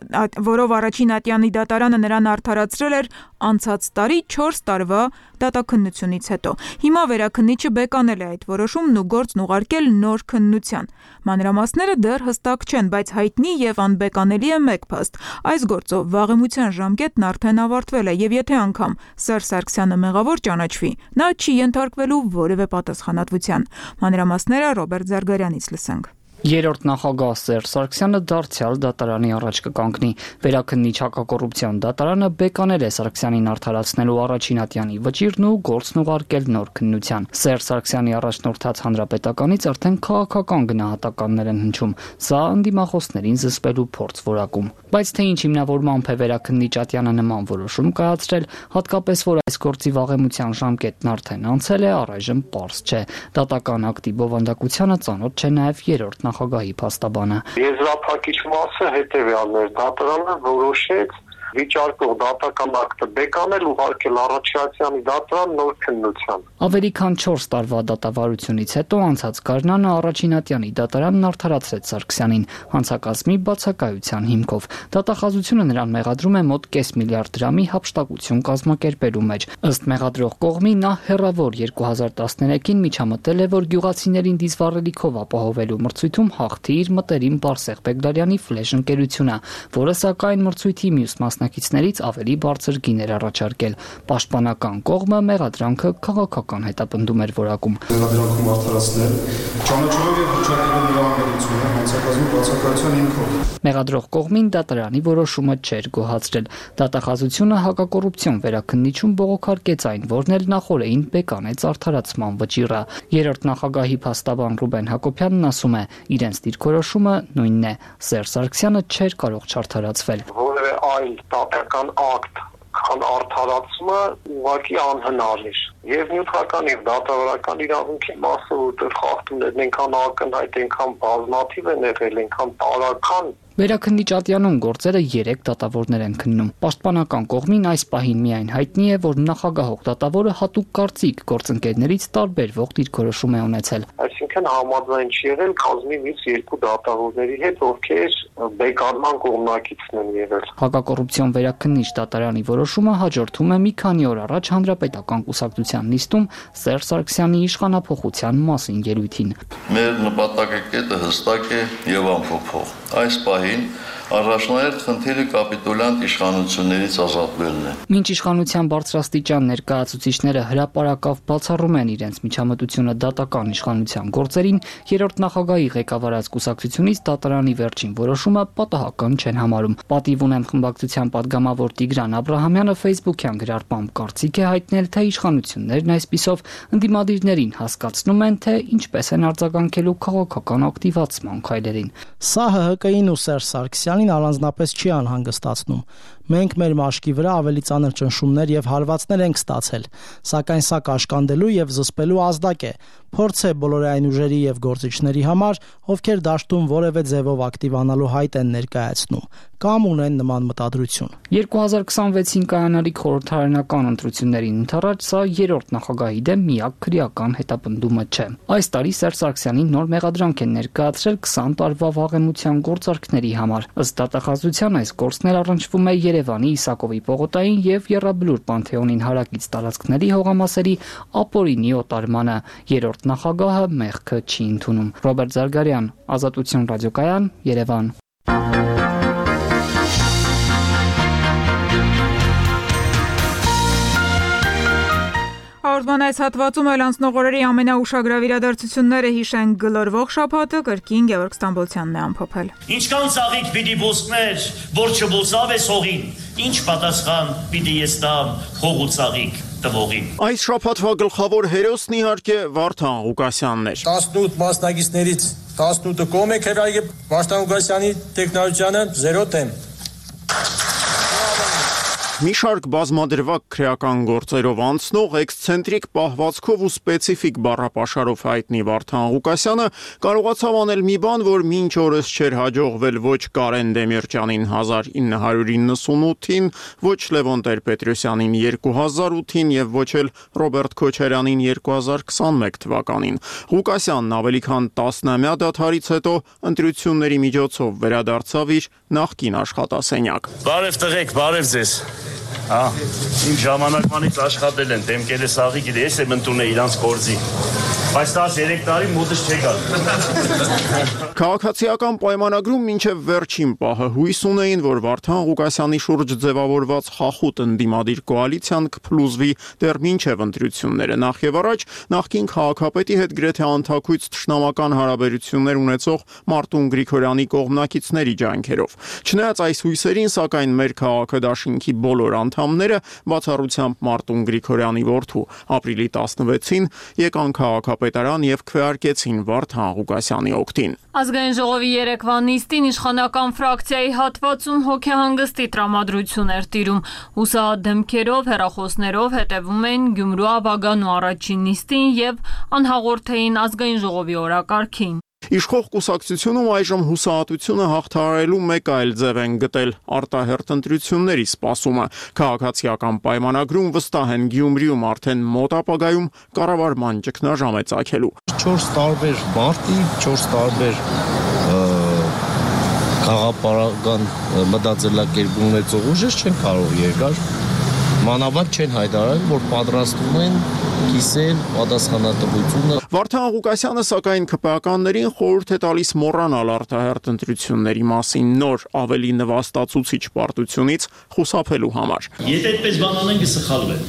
որով առաջին ատյանի դատարանը նրան արդարացրել էր անցած տարի չորս տարվա դատաքննությունից հետո։ Հիմա վերաքննիչը բեկանել է այդ որոշումն ու գործն ուղարկել նոր քննության։ Մանրամասները դեռ հստակ չեն, բայց հայտնի եւ անբեկանելի է մեկ փաստ։ Այս գործով վաղեմության ժամկետն արդեն ավարտվել է եւ եթե անգամ Սերժ Սարգսյանը մեղավոր ճանաչվի, նա չի ենթարկվելու որևէ պատասխանատվության։ Մանրամասները Ռոբերտ Զարգարյանից լսենք։ Երրորդ նախագահ Սերժ Սարգսյանը դարձյալ դատարանի առաջ կկանգնի։ Վերաքննիչ հակակոռուպցիոն դատարանը բեկանել է Սարգսյանին արդարացնելու առաջին ատյանի վճիրն ու գործն ուղարկել նոր քննության։ Սերժ Սարգսյանի առաջնորդած հանրապետականից արդեն քաղաքական գնահատականներ են հնչում։ Սա ընդդիմախոսներին զսպելու փորձ որակում։ Բայց թե ինչ հիմնավորմամբ է վերաքննիչ ատյանը նման որոշում կայացրել, հատկապես որ այս գործի վաղեմության ժամկետն արդեն անցել է, առայժմ պարզ չէ։ Դատական ակտի բովանդակությանը ծանոթ չէ նաև երրորդ նախագահի փաստաբանը։ Եզրափակիչ մասը հետևյալն էր, դատարանը որոշեց վիճարկող դատական ակտը բեկանել ուղարկել առաջացյալի դատարան նոր քննության։ Ավելի քան չորս տարվա դատավարությունից հետո անցած գարնանը առաջին ատյանի դատարանն արդարացրեց Սարգսյանին հանցակազմի բացակայության հիմքով։ Դատախազությունը նրան մեղադրում է մոտ կես միլիարդ դրամի հափշտակություն կազմակերպելու մեջ։ Ըստ մեղադրող կողմի նա հեռավոր երկու հազար տասներեքին միջամտել է, որ գյուղացիներին դիզվառելիքով ապահովելու մրցույթում հաղթի իր մտերիմ Բարսեղ Բեգդարյանի ֆլեշ ընկերությունը, որը սակայն մրցույթի մյուս մասնակիցներից ավելի բարձր գիներ առաջարկել։ Պաշտպանական կողմը մեղադրանքը քաղաքական հետապնդում էր որակում։ Մեղադրանքում արդարացնել, ճանաչելով եւ հռչակելով նրա անգերությունը հանցակազմի բացակայության հիմքով։ Մեղադրող կողմին դատարանի որոշումը չէր գոհացրել։ Դատախազությունը հակակոռուպցիոն վերաքննիչում բողոքարկեց այն, որն էլ նախորդին բեկանեց արդարացման վճիռը։ Երրորդ նախագահի փաստաբան Ռուբեն Հակոբյանն ասում է, իրենց դիրքորոշումը նույնն է։ Սերժ Սարգսյանը չէր կարող չարդարացվել։ Որևէ այլ դատական ակտ քան արդարացումը ուղղակի անհնար էր։ Եվ նյութական եւ դատավարական իրավունքի մասը, որտեղ խախտումներն այնքան ակնհայտ, այնքան բազմաթիվ են եղել, այնքան տարական Վերաքննիչ ատյանում գործերը երեք դատավորներ են քննում։ Պաշտպանական կողմին այս պահին միայն հայտնի է, որ նախագահող դատավորը հատուկ կարծիք գործընկերներից տարբերվող դիրքորոշում է ունեցել։ Այսինքն համաձայն չի եղել կազմի մյուս երկու դատավորների հետ, ովքեր բեկարման կողմնակիցն են եղել։ Հակակոռուպցիոն վերաքննիչ դատարանի որոշումը հաջորդում է մի քանի օր առաջ Հանրապետական կուսակցության նիստում Սերժ Սարգսյանի իշխանափոխության մասին ելույթին։ Մեր նպատակակետը հստակ է եւ անփոփոխ։ Այս պահին առաջնահերթ խնդիրը կապիտոլյանտ իշխանություններից ազատվելն է։ Մինչ իշխանության բարձրաստիճան ներկայացուցիչները հրապարակավ բացառում են իրենց միջամտությունը դատական իշխանության գործերին, երրորդ նախագահի ղեկավարած կուսակցությունից դատարանի վերջին որոշումը պատահական չեն համարում։ Պատիվ ունեմ խմբակցության падգամավոր Տիգրան Աբրահամյանը Facebook-յան գրառմամբ կարծիք է հայտնել, թե իշխանություններն այսպիսով ընդդիմադիրներին հասկացնում են, թե ինչպես են արձագանքելու քաղաքական ակտիվացման քայլերին։ Սա Հ Հ Կին ու Սերժ Սարգսյանին առանձնապես չի անհանգստացնում։ Մենք մեր մաշկի վրա ավելի ծանր ճնշումներ եւ հարվածներ ենք ստացել, սակայն սա կաշկանդելու եւ զսպելու ազդակ է, փորձ է բոլորային ուժերի եւ գործիչների համար, ովքեր դաշտում որևէ ձևով ակտիվանալու հայտ են ներկայացնում կամ ունեն նման մտադրություն։ երկու հազար քսանվեցին կայանալիք խորհրդարանական ընտրություններին ընդառաջ սա երրորդ նախագահի դեմ միակ քրեական հետապնդումը չէ։ Այս տարի Սերժ Սարգսյանին նոր մեղադրանք են ներկայացրել քսան տարվա վաղեմության գործարքների համար։ Ըստ դատախազության այս գործն էլ առնչվում է Երևանի Իսակովի պողոտային եւ Եռաբլուր Պանթեոնին հարակից տարածքների հողամասերի ապօրինի օտարմանը։ Երրորդ նախագահը մեղքը չի ընդունում։ Ռոբերտ Զարգարյան, Ազատություն ռադիոկայան, Երևան։ Հաղորդման այս հատվածում էլ անցնող օրերի ամենաուշագրավ իրադարձությունները հիշենք գլորվող շաբաթը կրկին Գևորգ Ստամբոլցյանն է ամփոփել։ Ինչքան ծաղիկ պիտի բուսներ, որ չբուսավ է հողին, ինչ պատասխան պիտի ես տամ հող ու ծաղիկ տվողին։ Այս շաբաթվա գլխավոր հերոսն իհարկե Վարդան Ղուկասյանն էր։ տասնութ մասնակիցներից տասնութը կողմ եք հրայել Վարդան Ղուկասյանի տեխնոլոգիանը զերո դեմ։ Մի շարք բազմադրվակ քրեական գործերով անցնող էքսցենտրիկ պահվածքով ու սպეციფիկ բառապաշարով հայտնի Վարդան Ղուկասյանը կարողացավ անել մի բան, որ մինչ օրս չէր հաջողվել ոչ Կարեն Դեմիրճյանին հազար ինը հարյուր իննսունութին, ոչ Լևոն Տեր-Պետրոսյանին երկու հազար ութին եւ ոչ էլ Ռոբերտ Քոչարյանին երկու հազար քսանմեկ թվականին։ Ղուկասյանն ավելի քան տասնամյա դադարից հետո ընտրությունների միջոցով վերադարձավ իր նախկին աշխատասենյակ։ Բարև տղեկ, բարև ձեզ։ Հա, իմ ժամանակվանից աշխատել են, դեմքերը սաղի գիտե, ես եմ ընդունել իրանց գործի, բայց տասներեք տարի մոտս չեկալ։ Քաղաքացիական պայմանագրում մինչև վերջին պահը հույս ունեին, որ Վարդան Ղուկասյանի շուրջ ձևավորված խախուտ ընդդիմադիր կոալիցիան կփլուզվի դեռ մինչև ընտրությունները։ Նախ եւ առաջ նախկին քաղաքապետի հետ գրեթե անթակույց թշնամական հարաբերություններ ունեցող Մարտուն Գրիգորյանի կողմնակիցների ջանքերով։ Չնայած այս հույսերին, սակայն մեր քաղաքը դաշինքի բոլոր անդամները, բացառությամբ Մարտուն Գրիգորյանի որդու, ապրիլի տասնվեցին եկան քաղաքապետարան եւ քվեարկեցին Վարդան Ղուկասյանի օգտին։ Ազգային ժողովի երեկվա նիստին իշխանական ֆրակցիայի հատվածում հոգեհանգստի տրամադրություն էր տիրում։ Հուսահատ դեմքերով, հեռախոսներով հետևում էին Գյումրու ավագանու առաջին նիստին եւ անհաղորդ էին ազգային ժողովի օրակարգին։ Իշխող կուսակցությունում այժմ հուսահատությունը հաղթահարելու մեկ այլ ձև են գտել արտահերթ ընտրությունների սպասումը։ Քաղաքացիական պայմանագրում վստահ են Գյումրիում արդեն մոտ ապագայում կառավարման ճգնաժամ է ծագելու։ չորս տարբեր մարտի, չորս տարբեր քաղաքապարական մտածելակերպ ունեցող ուժեր չեն կարող երկար մանավանդ չեն հայտարարել, որ պատրաստվում են կիսել պատասխանատվությունը։ Վարդան Ղուկասյանը սակայն ԿՊԱ-ականներին խորհուրդ է տալիս մոռանալ արտահերթ ընտրությունների մասին նոր ավելի նվաստացուցիչ պարտությունից խուսափելու համար։ Եթե այդպես բան անեն կսխալվեն։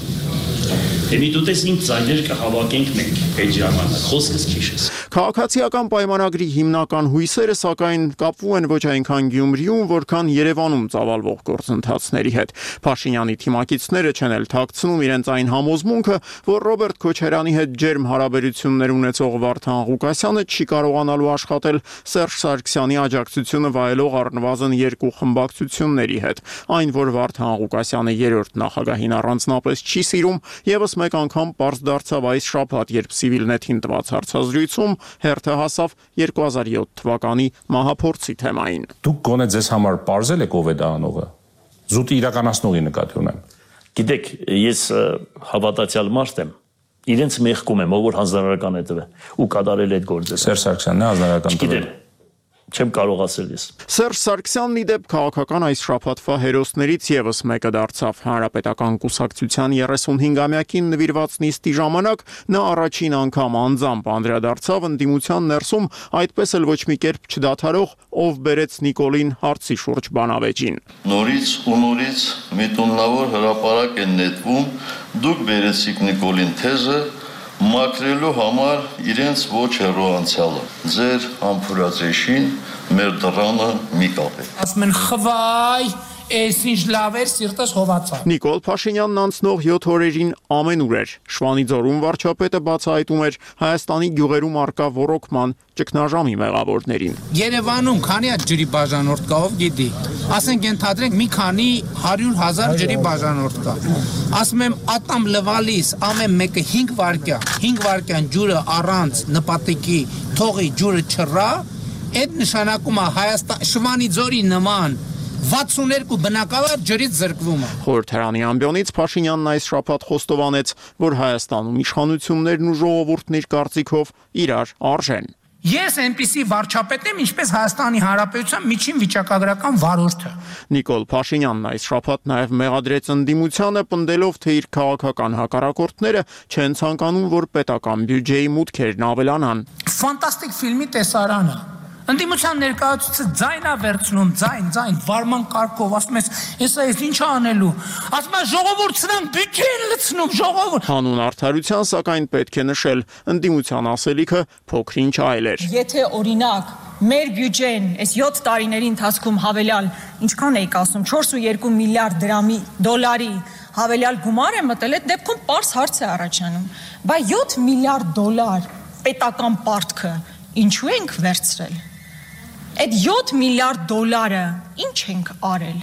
Թե մի դուտես ինձ ձայներ կհավաքենք մենք այդ ժամանակ, խոսքս քիչ է։ Քաղաքացիական պայմանագրի հիմնական հույսերը սակայն կապվում են ոչ այնքան Գյումրիում, որքան Երևանում ծավալվող գործընթացների հետ։ Փաշինյանի թիմակիցները չեն էլ թաքցնում իրենց այն համոզմունքը, որ Ռոբերտ Քոչարյանի հետ ջերմ հարաբերություններ ունեցող Վարդան Ղուկասյանը չի կարողանալու աշխատել Սերժ Սարգսյանի աջակցությունը վայելող առնվազն երկու խմբակցությունների հետ։ Այն, որ Վարդան Ղուկասյանը երրորդ նախագահին առանձնապես չի սիրում, եւս մեկ անգամ պարզ դարձավ այս շաբաթ, երբ Civilnet-ին տված հարցազրույցում հերթը հասավ երկու հազար յոթ թվականի մահափորձի թեմային։ Դուք գոնե ձեզ համար պարզել եք ով է դա անողը։ Զուտի իրականացնողի նկատի ունեմ։ Գիտեք, ես հավատացյալ մարդ եմ։ Իրենց մեղքում եմ, ով որ հանձնարարական է տվել ու կատարել այդ գործը։ Սերժ Սարգսյանն է հանձնարարական տվել։ Չեմ կարող ասել ես։ Սերժ Սարգսյանն ի դեպ քաղաքական այս շաբաթվա հերոսներից եւս մեկը դարձավ Հանրապետական կուսակցության երեսունհինգամյակին նվիրված նիստի ժամանակ նա առաջին անգամ անձամբ անդրադարձավ ընդդիմության ներսում այդպես էլ ոչ մի կերպ չդադարող ով բերեց Նիկոլին հարցի շուրջ բանավեճին։ Նորից ու նորից միտումնավոր հրապարակ են նետվում, դուք բերեցիք Նիկոլին թեզը մաքրելու համար իրենց ոչ հեռու անցյալը, ձեր համբուրացեշին մեր դռանը մի կապեք։ Ասում են խվայ, այս ինչ լավ էր, սիրտս հովացա։ Նիկոլ Փաշինյանն անցնող յոթ օրերին ամենուր էր։ Շվանիձորում վարչապետը բացահայտում էր Հայաստանի գյուղերում արկա ոռոգման ճգնաժամի մեղավորներին։ Երևանում քանի հատ ջրի բաժանորդ կա, ով գիտի։ Ասենք ենթադրենք մի քանի հարյուր հազար ջրի բաժանորդ կա։ Ասում եմ ատամ լվալիս ամեն մեկը հինգ վայրկյան, հինգ վայրկյան ջուրը առանց նպատակի թողի ջուրը չռա, այդ նշանակում է Հայաստան Շվանիձորի նման վաթսուներկու բնակավար ջրից զրկվում է։ Խորհրդարանի ամբիոնից Փաշինյանն այս շաբաթ խոստովանեց, որ Հայաստանում իշխանություններն ու ժողովուրդն իր կարծիքով իրար արժեն։ Ես այնպիսի վարչապետ եմ, ինչպես Հայաստանի Հանրապետության միջին վիճակագրական վարորդը։ Նիկոլ Փաշինյանն այս շաբաթ նաև մեղադրեց ընդդիմությանը, պնդելով, թե իր քաղաքական հակառակորդները չեն ցանկանում, որ պետական բյուջեի մուտքերն ավելանան։ Ֆանտաստիկ ֆիլմի տեսարանը։ Ընդդիմության ներկայացուցիչը ձայնա վերցնում, ձայն, ձայն, վարման կարգով, ասում ես, ես այս ինչ անելու։ Ասում ես ժողովուրդ սրանք բյուջեն լցնում, ժողովուրդ։ Հանուն արդարության, սակայն պետք է նշել, ընդդիմության ասելիքը փոքրինչ այլ էր։ Եթե օրինակ մեր բյուջեն այս յոթ տարիների ընթացքում հավելյալ, ինչքան էիք ասում, չորս ու երկու միլիարդ դրամի դոլարի հավելյալ գումար է մտել, այդ դեպքում պարզ հարց է առաջանում։ Բայց յոթ միլիարդ դոլար պետական պարտքը ինչու ենք վերցրել։ Այդ յոթ միլիարդ դոլարը ինչ ենք արել,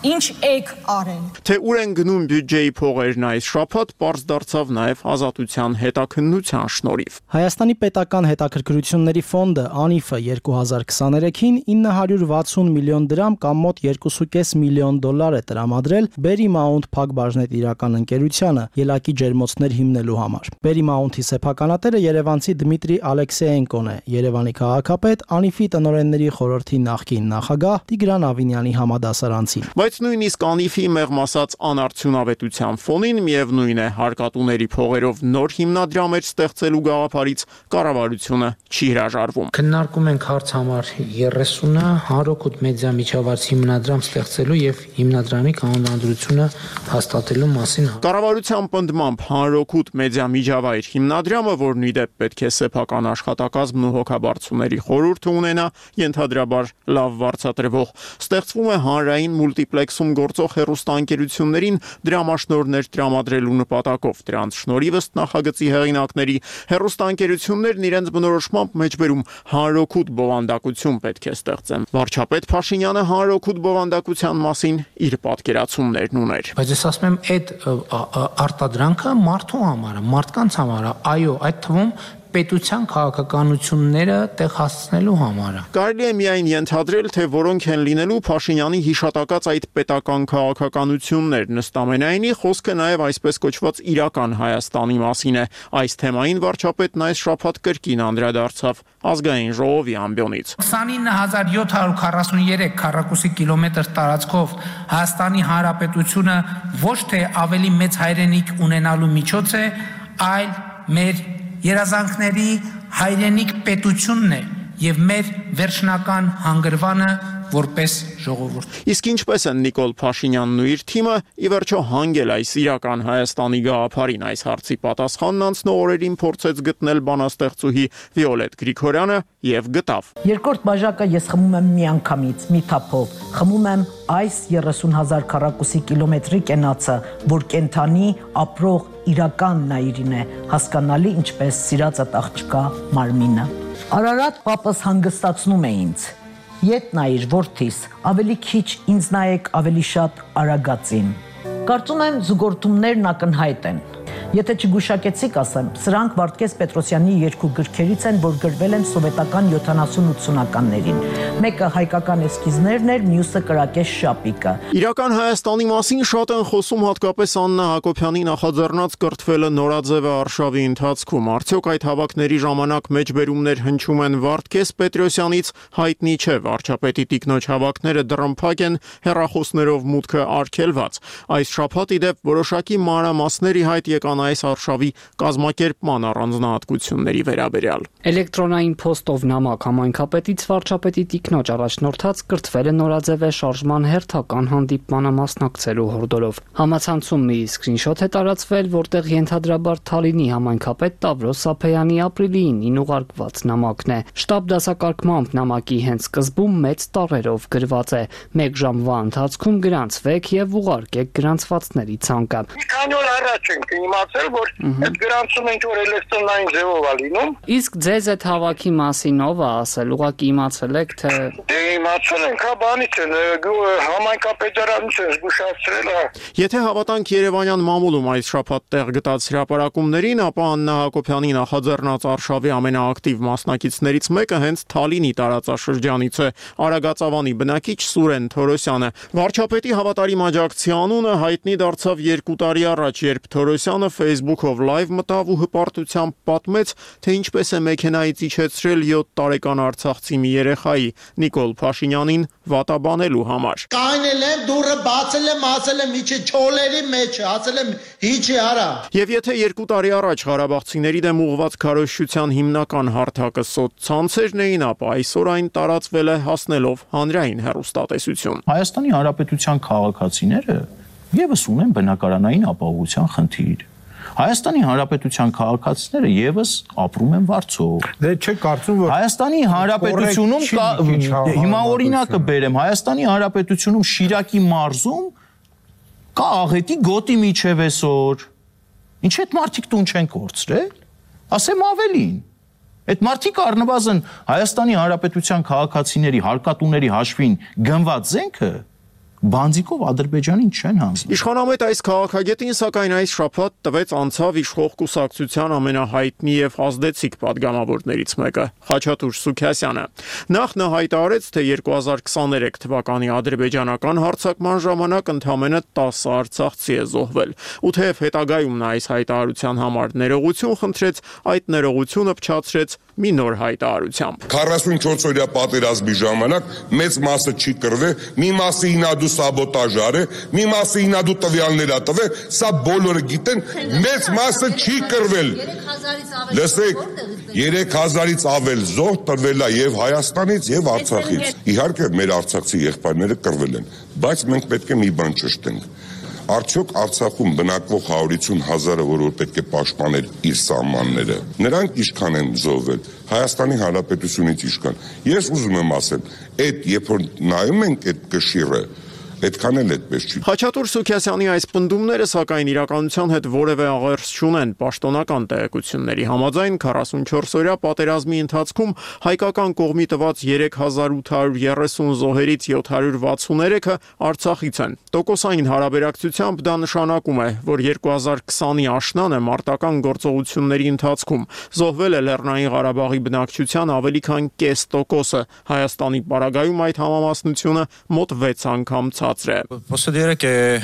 ինչ եք արել։ Թե ուր են գնում բյուջեի փողերն այս շաբաթ, պարզ դարձավ նաև Ազատության հետաքննության շնորհիվ։ Հայաստանի պետական հետաքրքրությունների ֆոնդը ԱՆԻՖ-ը երկու հազար քսաներեքին ինը հարյուր վաթսուն միլիոն դրամ կամ մոտ երկու կόμμα պենս միլիոն դոլար է տրամադրել Berry Mount Փակbaşnet իրական ընկերությանը ելակի ջերմոցներ հիմնելու համար։ Berry Mount-ի սեփականատերը երևանցի Դմիտրի Ալեքսեենկոն է, Երևանի քաղաքապետ, ԱՆԻՖ-ի տնօրենների խորհրդի նախկին նախագահ Տիգրան Ավինյանի համադասարանցին։ Բայց նույնիսկ ԱՆԻՖ-ի մեղմ ասած անարդյունավետության ֆոնին միևնույն է հարկատուների փողերով նոր հիմնադրամ էր ստեղծելու գաղափարից կառավարությունը չի հրաժարվում։ Քննարկում ենք հարց համար երեսունը հանրօգուտ մեդիա միջավայր հիմնադրամ ստեղծելու եւ հիմնադրամի կանոնադրությունը հաստատելու մասին։ Կառավարության պնդմամբ հանրօգուտ մեդիա միջավայր հիմնադրամը, որն ի դեպ պետք է սեփական աշխատակազմն ու հոգաբարձուների խորհուրդը ունենա, ենթադրաբար լավ վարձատրվող, ստեղծվում է հանրային մուլտիպլեքսում գործող հեռուստաընկերություններին դրամաշնորհներ տրամադրելու նպատակով։ Դրանց շնորհիվ ըստ նախագծի հեղինակների հեռուստաընկերություններն իրենց բնորոշմամբ մեջբերում հանրօգուտ բովանդակություն պետք է ստեղծեն։ Վարչապետ Փաշինյանը հանրօգուտ բովանդակության մասին իր պատկերացումներն ուներ։ Բայց ես ասում եմ, այդ արտադրանքը մարդու համար է, մարդկանց համար է, այո, այդ թվում պետության քաղաքականությունները տեղ հասցնելու համար։ Կարելի է միայն ենթադրել, թե որոնք են լինելու Փաշինյանի հիշատակած այդ պետական քաղաքականություններն, ըստ ամենայնի խոսքը նաև այսպես կոչված իրական Հայաստանի մասին է։ Այս թեմային վարչապետն այս շաբաթ կրկին անդրադարձավ ազգային ժողովի ամբիոնից։ քսանինը հազար յոթ հարյուր քառասուներեք քառակուսի կիլոմետր տարածքով Հայաստանի Հանրապետությունը ոչ թե ավելի մեծ հայրենիք ունենալու միջոց է, այլ մեր երազանքների հայրենիք պետությունն է եւ մեր վերջնական հանգրվանը որպես ժողովուրդ։ Իսկ ինչպես են Նիկոլ Փաշինյանն ու իր թիմը ի վերջո հանգել այս իրական Հայաստանի գաղափարին, այս հարցի պատասխանն անցնող օրերին փորձեց գտնել բանաստեղծուհի Վիոլետ Գրիգորյանը եւ գտավ։ Երկրորդ բաժակը ես խմում եմ միանգամից, մի թափով։ Խմում եմ այս երեսուն հազար քառակուսի կիլոմետրի կենացը, որ կենթանի ապրող իրական նայիրին է, հասկանալի ինչպես սիրածդ աղջկա մարմինը։ Արարատ պապս հանգստացնում է ինձ։ Ետ նայիր որդիս, ավելի քիչ ինձ նայեք ավելի շատ արագածին։ Կարծում եմ զուգորդումներն ակնհայտ են։ Եթե չգուշակեցիք, ասեմ, սրանք Վարդգես Պետրոսյանի երկու գրքերից են, որ գրվել են սովետական յոթանասուն-ութսունականներին։ Մեկը հայկական էսքիզներն էր, մյուսը կրակես շապիկը։ Իրական Հայաստանի մասին շատ են խոսում հատկապես Աննա Հակոբյանի նախաձեռնած կրթվելը նորաձևը արշավի ընթացքում։ Արդյոք այդ հավաքների ժամանակ մեջբերումներ հնչում են Վարդգես Պետրոսյանից, հայտնի չէ, վարչապետի տիկնոջ հավաքները դռնփակ են, հեռախոսներով մուտքը արգելված։ Այս շաբաթ ի դեպ որոշակի մանրամասների հայտ եկան այս արշավի կազմակերպման առանձնահատկությունների վերաբերյալ։ Էլեկտրոնային փոստով նամակ համայնքապետից վարչապետի տիկնոջ առաջնորդած կրթվել է նորաձևե շարժման հերթական հանդիպմանը մասնակցելու հորդորով։ Համացանցում մի սկրինշոթ է տարածվել, որտեղ ենթադրաբար Թալինի համայնքապետ Տավրոս Սափեյանի ապրիլի ինին ուղարկված նամակն է։ Շտաբ դասակարգմամբ նամակի հենց սկզբում մեծ տառերով գրված է. «Մեկ ժամվա ընթացքում գրանցվեք եւ ուղարկեք գրանցվածների ցանկը»։ Մի քանի օր առաջ ենք իմացել, որ այդ գրանցումը ինչ որ էլեկտրոնային ձևով է լինում։ Իսկ ձեզ այդ հավաքի մասին ով է ասել, ուղղակի իմացել եք թե Դե իմացել ենք, հա բանից են, համայնքապետարանից են զգուշացրել, հա։ Եթե հավատանք Երևանյան մամուլում այս շաբաթ տեղ գտած հրապարակումներին, ապա Աննա Հակոբյանի նախաձեռնած արշավի ամենաակտիվ մասնակիցներից մեկը հենց Թալինի տարածաշրջանից է, Արագածավանի բնակիչ Սուրեն Թորոսյանը։ Վարչապետի հավատարիմ աջակցի անունը հայտնի դարձավ երկու տարի առաջ, երբ Թորոսյանը Facebook-ով լայվ մտավ ու հպարտությամբ պատմեց, թե ինչպես է մեքենայից իջեցրել յոթ տարեկան արցախցի մի երեխայի Նիկոլ Փաշինյանին վատաբանելու համար։ Կանել եմ, դուրը բացել եմ, ասել եմ իջի չոլերի մեջ, ասել եմ իջի արա։ Եվ եթե երկու տարի առաջ ղարաբաղցիների դեմ ուղղված քարոզչության հիմնական հարթակը սոցցանցերն էին, ապա այսօր այն տարածվել է հասնելով հանրային հեռուստատեսություն։ Հայաստանի Հանրապետության քաղաքացիները եւս ունեն բնակարանային ապահովության խնդիր։ Հայաստանի Հանրապետության քաղաքացիները եւս ապրում են Վարձով։ Դե չէ կարծում որ Հայաստանի Հանրապետությունում կա, հիմա օրինակը բերեմ, Հայաստանի Հանրապետությունում Շիրակի մարզում կա աղետի գոտի միջև այսօր։ Ինչ այդ մարդիկ տուն չեն կորցրել։ Ասեմ ավելին։ Այդ մարդիկ առնվազն Հայաստանի Հանրապետության քաղաքացիների հարկատուների հաշվին գնված զենքը բանձիկով Ադրբեջանին չեն հանձնում։ Իշխանամետ այս քաղաքագետին սակայն այս շաբաթ տվեց անցավ իշխող կուսակցության ամենահայտնի եւ ազդեցիկ падգամավորներից մեկը՝ Խաչատուր Սուքիասյանը։ Նախ նա հայտարարեց, թե երկու հազար քսաներեք թվականի ադրբեջանական հարձակման ժամանակ ընդամենը տասը արցախցի է զոհվել։ Ու թեև հետագայում նա այս հայտարարության համար ներողություն խնդրեց, այդ ներողությունը փչացրեց մի նոր հայտարարությամբ։ քառասունչորս օրյա պատերազմի ժամանակ մեծ մասը չի կռվել, մի մասը ինադու սաբոտաժ արե, մի մասը ինադու տվյալներ ա տվել, սա բոլորը գիտեն, մեծ մասը չի կռվել։ Լսեք, երեք հազարից ավել զոհ տրվել է եւ Հայաստանից եւ Արցախից։ Իհարկե մեր արցախցի եղբայրները կռվել են, բայց մենք պետք է մի բան ճշտենք։ Արդյոք Արցախում բնակվող հարյուր ութսուն հազարը, որ պետք է պաշտպաներ իր սահմանները, նրանք ինչքան են զոհվել, Հայաստանի Հանրապետությունից ինչքան։ Ես ուզում եմ ասել, այդ երբ որ նայում ենք այդ կշիռը, այդքան էլ այդպես չի։ Խաչատուր Սուքիասյանի այս պնդումները սակայն իրականության հետ որևէ աղերս չունեն։ Պաշտոնական տեղեկությունների համաձայն քառասունչորս օրյա պատերազմի ընթացքում հայկական կողմի տված երեք հազար ութ հարյուր երեսուն զոհերից յոթ հարյուր վաթսուներեքը Արցախից են։ Տոկոսային հարաբերակցությամբ դա նշանակում է, որ երկու հազար քսանի աշնանը մարտական գործողությունների ընթացքում զոհվել է Լեռնային Ղարաբաղի բնակչության ավելի քան կես տոկոսը։ Հայաստանի պարագայում այդ համամասնությունը մոտ վեց անգամ Posso dire che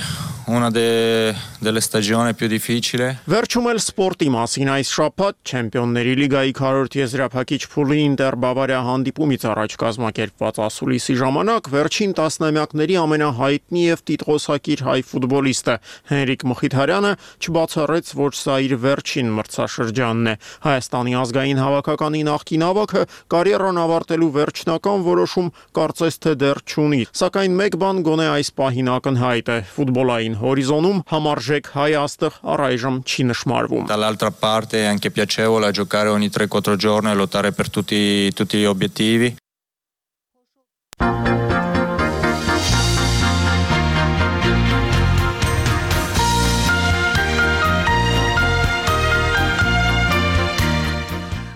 una de, delle stagioni più difficili. Վերջում էլ սպորտի մասին այս շաբաթ Չեմպիոնների լիգայի քառորդ եզրափակիչ փուլի Ինտեր Բավարիա հանդիպումից առաջ կազմակերպված ասուլիսի ժամանակ վերջին տասնամյակների ամենահայտնի եւ տիտղոսակիր հայ ֆուտբոլիստը Հենրիկ Մխիթարյանը չբացառեց, որ սա իր վերջին մրցաշրջանն է։ Հայաստանի ազգային հավաքականի նախկին ավագը կարիերան ավարտելու վերջնական որոշում կարծես թե դեռ չունի, sակայն մեկ բան գոնե այս պահին ակնհայտ է՝ ֆուտբոլային հորիզոնում համարժեք հայ աստղ առայժմ չի նշմարվում։ Dall'altra parte è anche piacevole giocare ogni tre quattro giorni e lottare per tutti tutti gli obiettivi.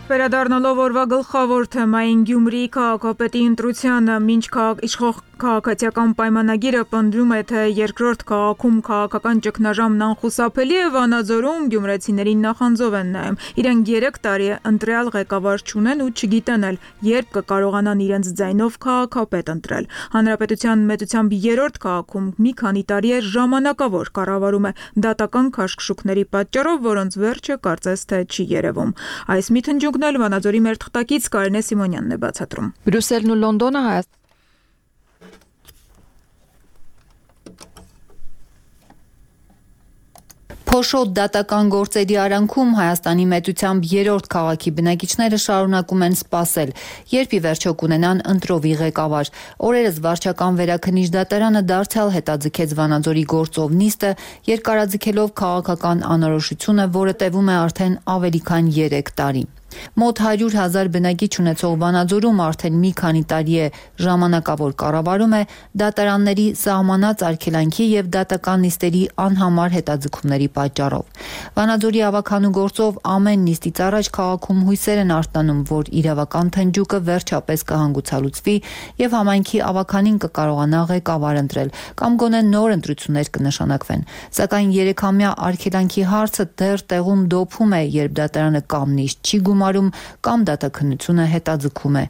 Վերադառնալով օրվա գլխավոր թեմային Գյումրիի քաղաքապետի ընտրությանը, մինչ իշխող Քաղաքացիական պայմանագիրը պնդում է, թե երկրորդ քաղաքում քաղաքական ճգնաժամն անխուսափելի է, Վանաձորում գյումրեցիներին նախանձով են նայում։ Իրենք երեք տարի է ընտրյալ ղեկավար չունեն ու չգիտեն էլ երբ կկարողանան իրենց ձայնով քաղաքապետ ընտրել։ Հանրապետության մեծությամբ երրորդ քաղաքում մի քանի տարի է ժամանակավոր կառավարում է դատական քաշքշուկների պատճառով, որոնց վերջը կարծես թե չի երևում։ Այս միտնջունքն էլ Վանաձորի մեր թղթակից Կարինե Սիմոնյանն է բացատրում։ Բրյուսելն ու Լոնդոնը Հայաստան Փոշոտ դատական գործերի արանքում Հայաստանի մեծությամբ երրորդ քաղաքի բնակիչները շարունակում են սպասել, երբ ի վերջո կունենան ընտրովի ղեկավար։ Օրերս վարչական վերաքննիչ դատարանը դարձյալ հետաձգեց Վանաձորի գործով նիստը, երկարաձգելով քաղաքական անորոշությունը, որը տևում է արդեն ավելի քան երեք տարի։ Մոտ հարյուր հազար բնակիչ ունեցող Վանաձորում արդեն մի քանի տարի է ժամանակավոր կառավարում է դատարանների սահմանած արգելանքի եւ դատական նիստերի անհամար հետաձգումների պատճառով։ Վանաձորի ավականու գործով ամեն նիստից առաջ քաղաքում հույսեր են արտանում, որ իրավական թնջուկը վերջապես կհանգուցալուծվի եւ համայնքի ավականին կկարողանա ղեկավար ընտրել կամ գոնե նոր ընտրություններ կնշանակվեն։ Սակայն երեքամյա արգելանքի հարցը դեռ տեղում դոփում է, երբ դատարանը կամ նիստ չի գումարում կամ դատաքննությունը հետաձգում է։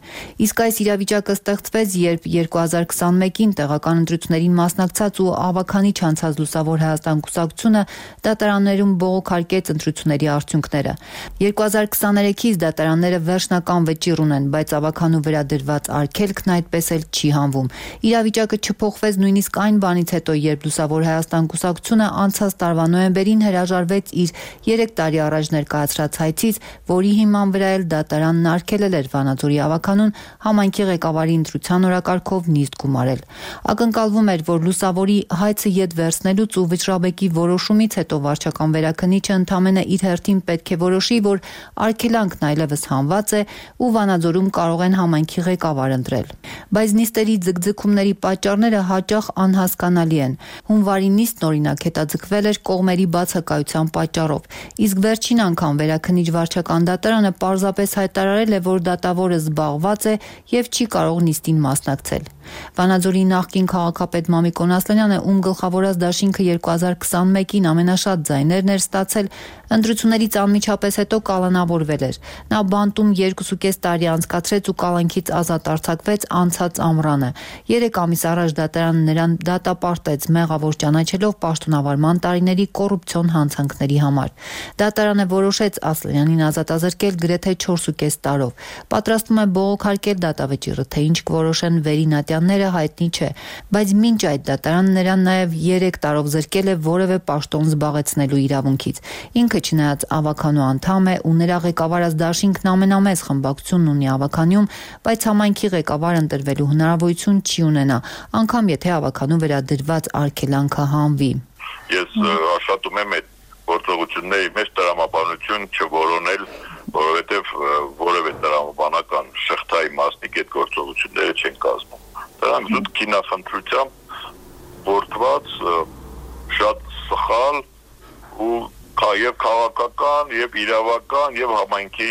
Իսկ այս իրավիճակը ստեղծվեց, երբ երկու հազար քսանմեկին տեղական ընտրություններին մասնակցած ու ավականի չանցած Լուսավոր Հայաստան կուսակցությունը դատարաններում բողոքարկեց ընտրությունների արդյունքները։ երկու հազար քսաներեքից դատարանները վերջնական վճիռ ունեն, բայց ավականու վրա դրված արգելքն այդպես էլ չի հանվում։ Իրավիճակը չփոխվեց նույնիսկ այն բանից հետո, երբ Լուսավոր Հայաստան կուսակցությունը անցած տարվա նոյեմբերին հրաժարվեց իր երեք տարի առաջ ներկայացրած հայցից, որի հիման վրա էլ դատարանն արգելել էր Վանաձորի ավականուն համայնքի ղեկավարի ընտրության օրակարգով նիստ գումարել։ Ակնկալվում էր, որ Լուսավորի հայցը ետ վերցնելուց ու վճռաբեկի որոշումից հետո վարչական վերաքննիչը ընդամենը իր հերթին պետք է որոշի, որ արգելանքն այլևս հանված է ու Վանաձորում կարող են համայնքի ղեկավար ընտրել։ Բայց նիստերի ձգձգումների պատճառները հաճախ անհասկանալի են։ Հունվարի նիստն օրինակ հետաձգվել էր կողմերի բացակայության պատճառով, իսկ վերջին անգամ վերաքննիչ վարչական դատարանը պարզապես հայտարարել է, որ դատավորը զբաղված է եւ չի կարող նիստին մասնակցել։ Վանաձորի նախկին քաղաքապետ Մամիկոն Ասլանյանը, ում գլխավորած դաշինքը երկու հազար քսանմեկին ամենաշատ ձայներն էր ստացել, ընտրություններից անմիջապես հետո կալանավորվել էր։ Նա բանտում երկուսուկես տարի անցկացրեց ու կալանքից ազատ արձակվեց անցած ամռանը։ Երեք ամիս առաջ դատարանը նրան դատապարտեց, մեղավոր ճանաչելով պաշտոնավարման տարիների կոռուպցիոն հանցանքների համար։ Դատարանը որոշեց Ասլանյանին ազատազրկել գրեթե չորսուկես տարով։ Պատրաստվում է բողոքարկել դատավճիռը, թե ինչ կորոշեն վերինատյանները հայտնի չէ, բայց մինչ այդ դատարանը նրան նաև երեք տարով զրկել է որևէ պաշտոն զբաղեցնելու իրավունքից։ Ինքը չնայած ավականու անդամ է ու նրա ղեկավարած դաշինքն ամենամեծ խմբակցությունն ունի ավականյում, բայց համայնքի ղեկավար ընտրվելու հնարավորություն չի ունենա, անգամ եթե ավականու վրա դրված արգելանքը հանվի։ Ես աշխատում եմ այդ գործողությունների մեջ տրամաբանություն չորոնել, որովհետև որևէ տրամաբանական շղթայի մասնիկ այդ գործողությունները չեն կազմում։ Դրանք զուտ քինախնդրությամբ գործված շատ սխալ ու եւ քաղաքական, եւ իրավական, եւ համայնքի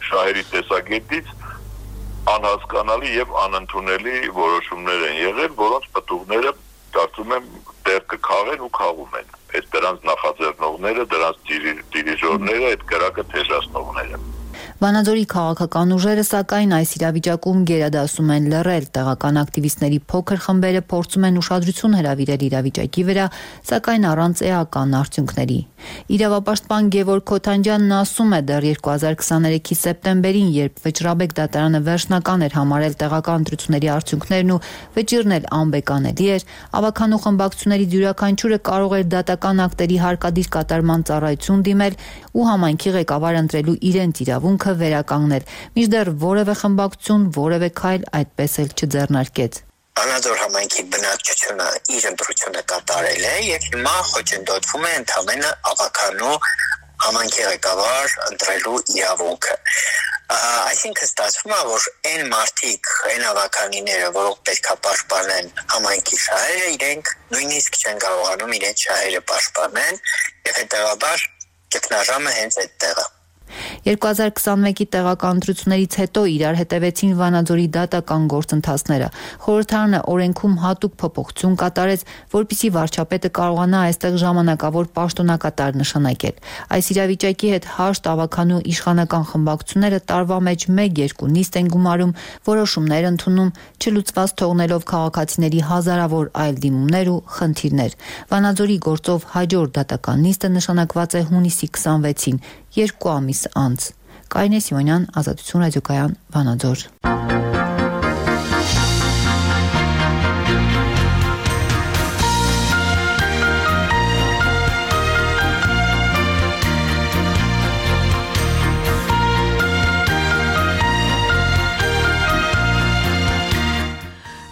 շահերի տեսակետից անհասկանալի եւ անընդունելի որոշումներ են եղել, որոնց պտուղները կարծում եմ դեռ կքաղեն ու քաղում են։ Այդ դրանց նախաձեռնողները, դրանց դիրիժորները, այդ կրակը թեժացնողները։ Վանաձորի քաղաքական ուժերը սակայն այս իրավիճակում գերադասում են լռել, տեղական ակտիվիստների փոքր խմբերը փորձում են ուշադրություն հրավիրել իրավիճակի վրա, սակայն առանց էական արդյունքների։ Իրավապաշտպան Գևորգ Քոթանջյանն ասում է, դեռ երկու հազար քսաներեքի սեպտեմբերին, երբ Վճռաբեկ դատարանը վերջնական էր համարել տեղական ընտրությունների արդյունքներն ու վճիռն էլ անբեկանելի էր, ավականու խմբակցությունների յուրաքանչյուրը կարող էր դատական ակտերի հարկադիր կատարման ծառայություն դիմել ու համայնքի ղեկավար ընտրելու իրենց իրավունքը վերականգնել, մինչդեռ որևէ խմբակցություն, որևէ քայլ այդպես էլ չձեռնարկեց։ Վանաձոր համայնքի բնակչությունը իր ընտրությունը կատարել է եւ հիմա խոչընդոտվում է ընդամենը ավականու համայնքի ղեկավար ընտրելու իրավունքը։ Այսինքն ստացվում է, որ այն մարդիկ, այն ավականիները, որոնք պետք է պաշտպանեն համայնքի շահերը, իրենք նույնիսկ չեն կարողանում իրենց շահերը պաշտպանել եւ հետեւաբար ճգնաժամը հենց այդտեղ է։ երկու հազար քսանմեկի տեղական ընտրություններից հետո իրար հետևեցին Վանաձորի դատական գործընթացները։ Խորհրդարանը օրենքում հատուկ փոփոխություն կատարեց, որպեսզի վարչապետը կարողանա այստեղ ժամանակավոր պաշտոնակատար նշանակել։ Այս իրավիճակի հետ հաշտ ավականու իշխանական խմբակցությունները տարվա մեջ մեկ-երկու նիստ են գումարում, որոշումներ ընդունում, չլուծված թողնելով քաղաքացիների հազարավոր այլ դիմումներ ու խնդիրներ։ Վանաձորի գործով հաջորդ դատական նիստը նշանակված է հունիսի քսանվեցին, երկու ամիս անց։ Կարինե Սիմոնյան, Ազատություն ռադիոկայան, Վանաձոր։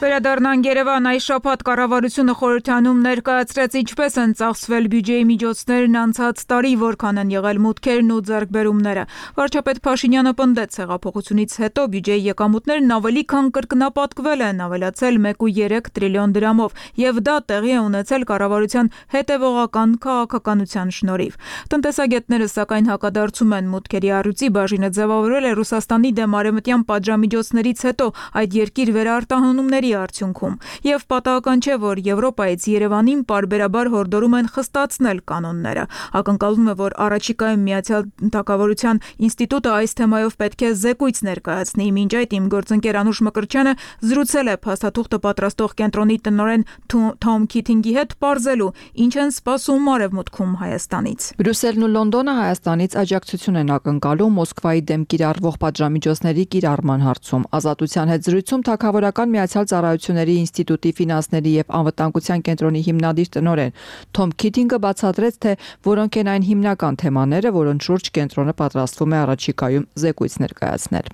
Վերադառնանք Երևան, այս շաբաթ կառավարությունը խորհրդանում ներկայացրեց ինչպես են ծախսվել բյուջեի միջոցներն անցած տարի, որքան են եղել մուտքերն ու ձեռքբերումները։ Վարչապետ Փաշինյանը պնդեց, հեղափոխությունից հետո բյուջեի եկամուտներն ավելի քան կրկնապատկվել են, ավելացել մեկ կόμμα երեք տրիլիոն դրամով, եւ դա տեղի է ունեցել կառավարության հետևողական քաղաքականության շնորհիվ։ Տնտեսագետները սակայն հակադարձում են մուտքերի առյուծի բաժինը ձևավորել է Ռուսաստանի դեմ արևմտյան պատժամիջոցներից հետո այդ երկիր վերարտահանումների արդյունքում, եւ պատահական չէ, որ Եվրոպայից Երևանին պարբերաբար հորդորում են խստացնել կանոնները։ Ակնկալվում է, որ առաջիկայում Միացյալ Թագավորության ինստիտուտը այս թեմայով պետք է զեկույց ներկայացնի։ Մինչ այդ իմ գործընկեր Անուշ Մկրտչյանը զրուցել է փաստաթուղթը պատրաստող կենտրոնի տնօրեն Թոմ Քիթինգի հետ, պարզելու ինչ են սպասում արևմուտքում Հայաստանից։ Բրյուսելն ու Լոնդոնը Հայաստանից աջակցություն են ակնկալում Մոսկվայի դեմ կիրառվող պատժամիջոցների կիրառման հարցում։ Ազատության հետ զրույցում Թագավորական Միացյալ Ծառայությունների ինստիտուտի ֆինանսների եւ անվտանգության կենտրոնի հիմնադիր տնօրեն Թոմ Քիթինգը բացատրեց, թե որոնք են այն հիմնական թեմաները, որոնց շուրջ կենտրոնը պատրաստվում է առաջիկայում զեկույց ներկայացնել։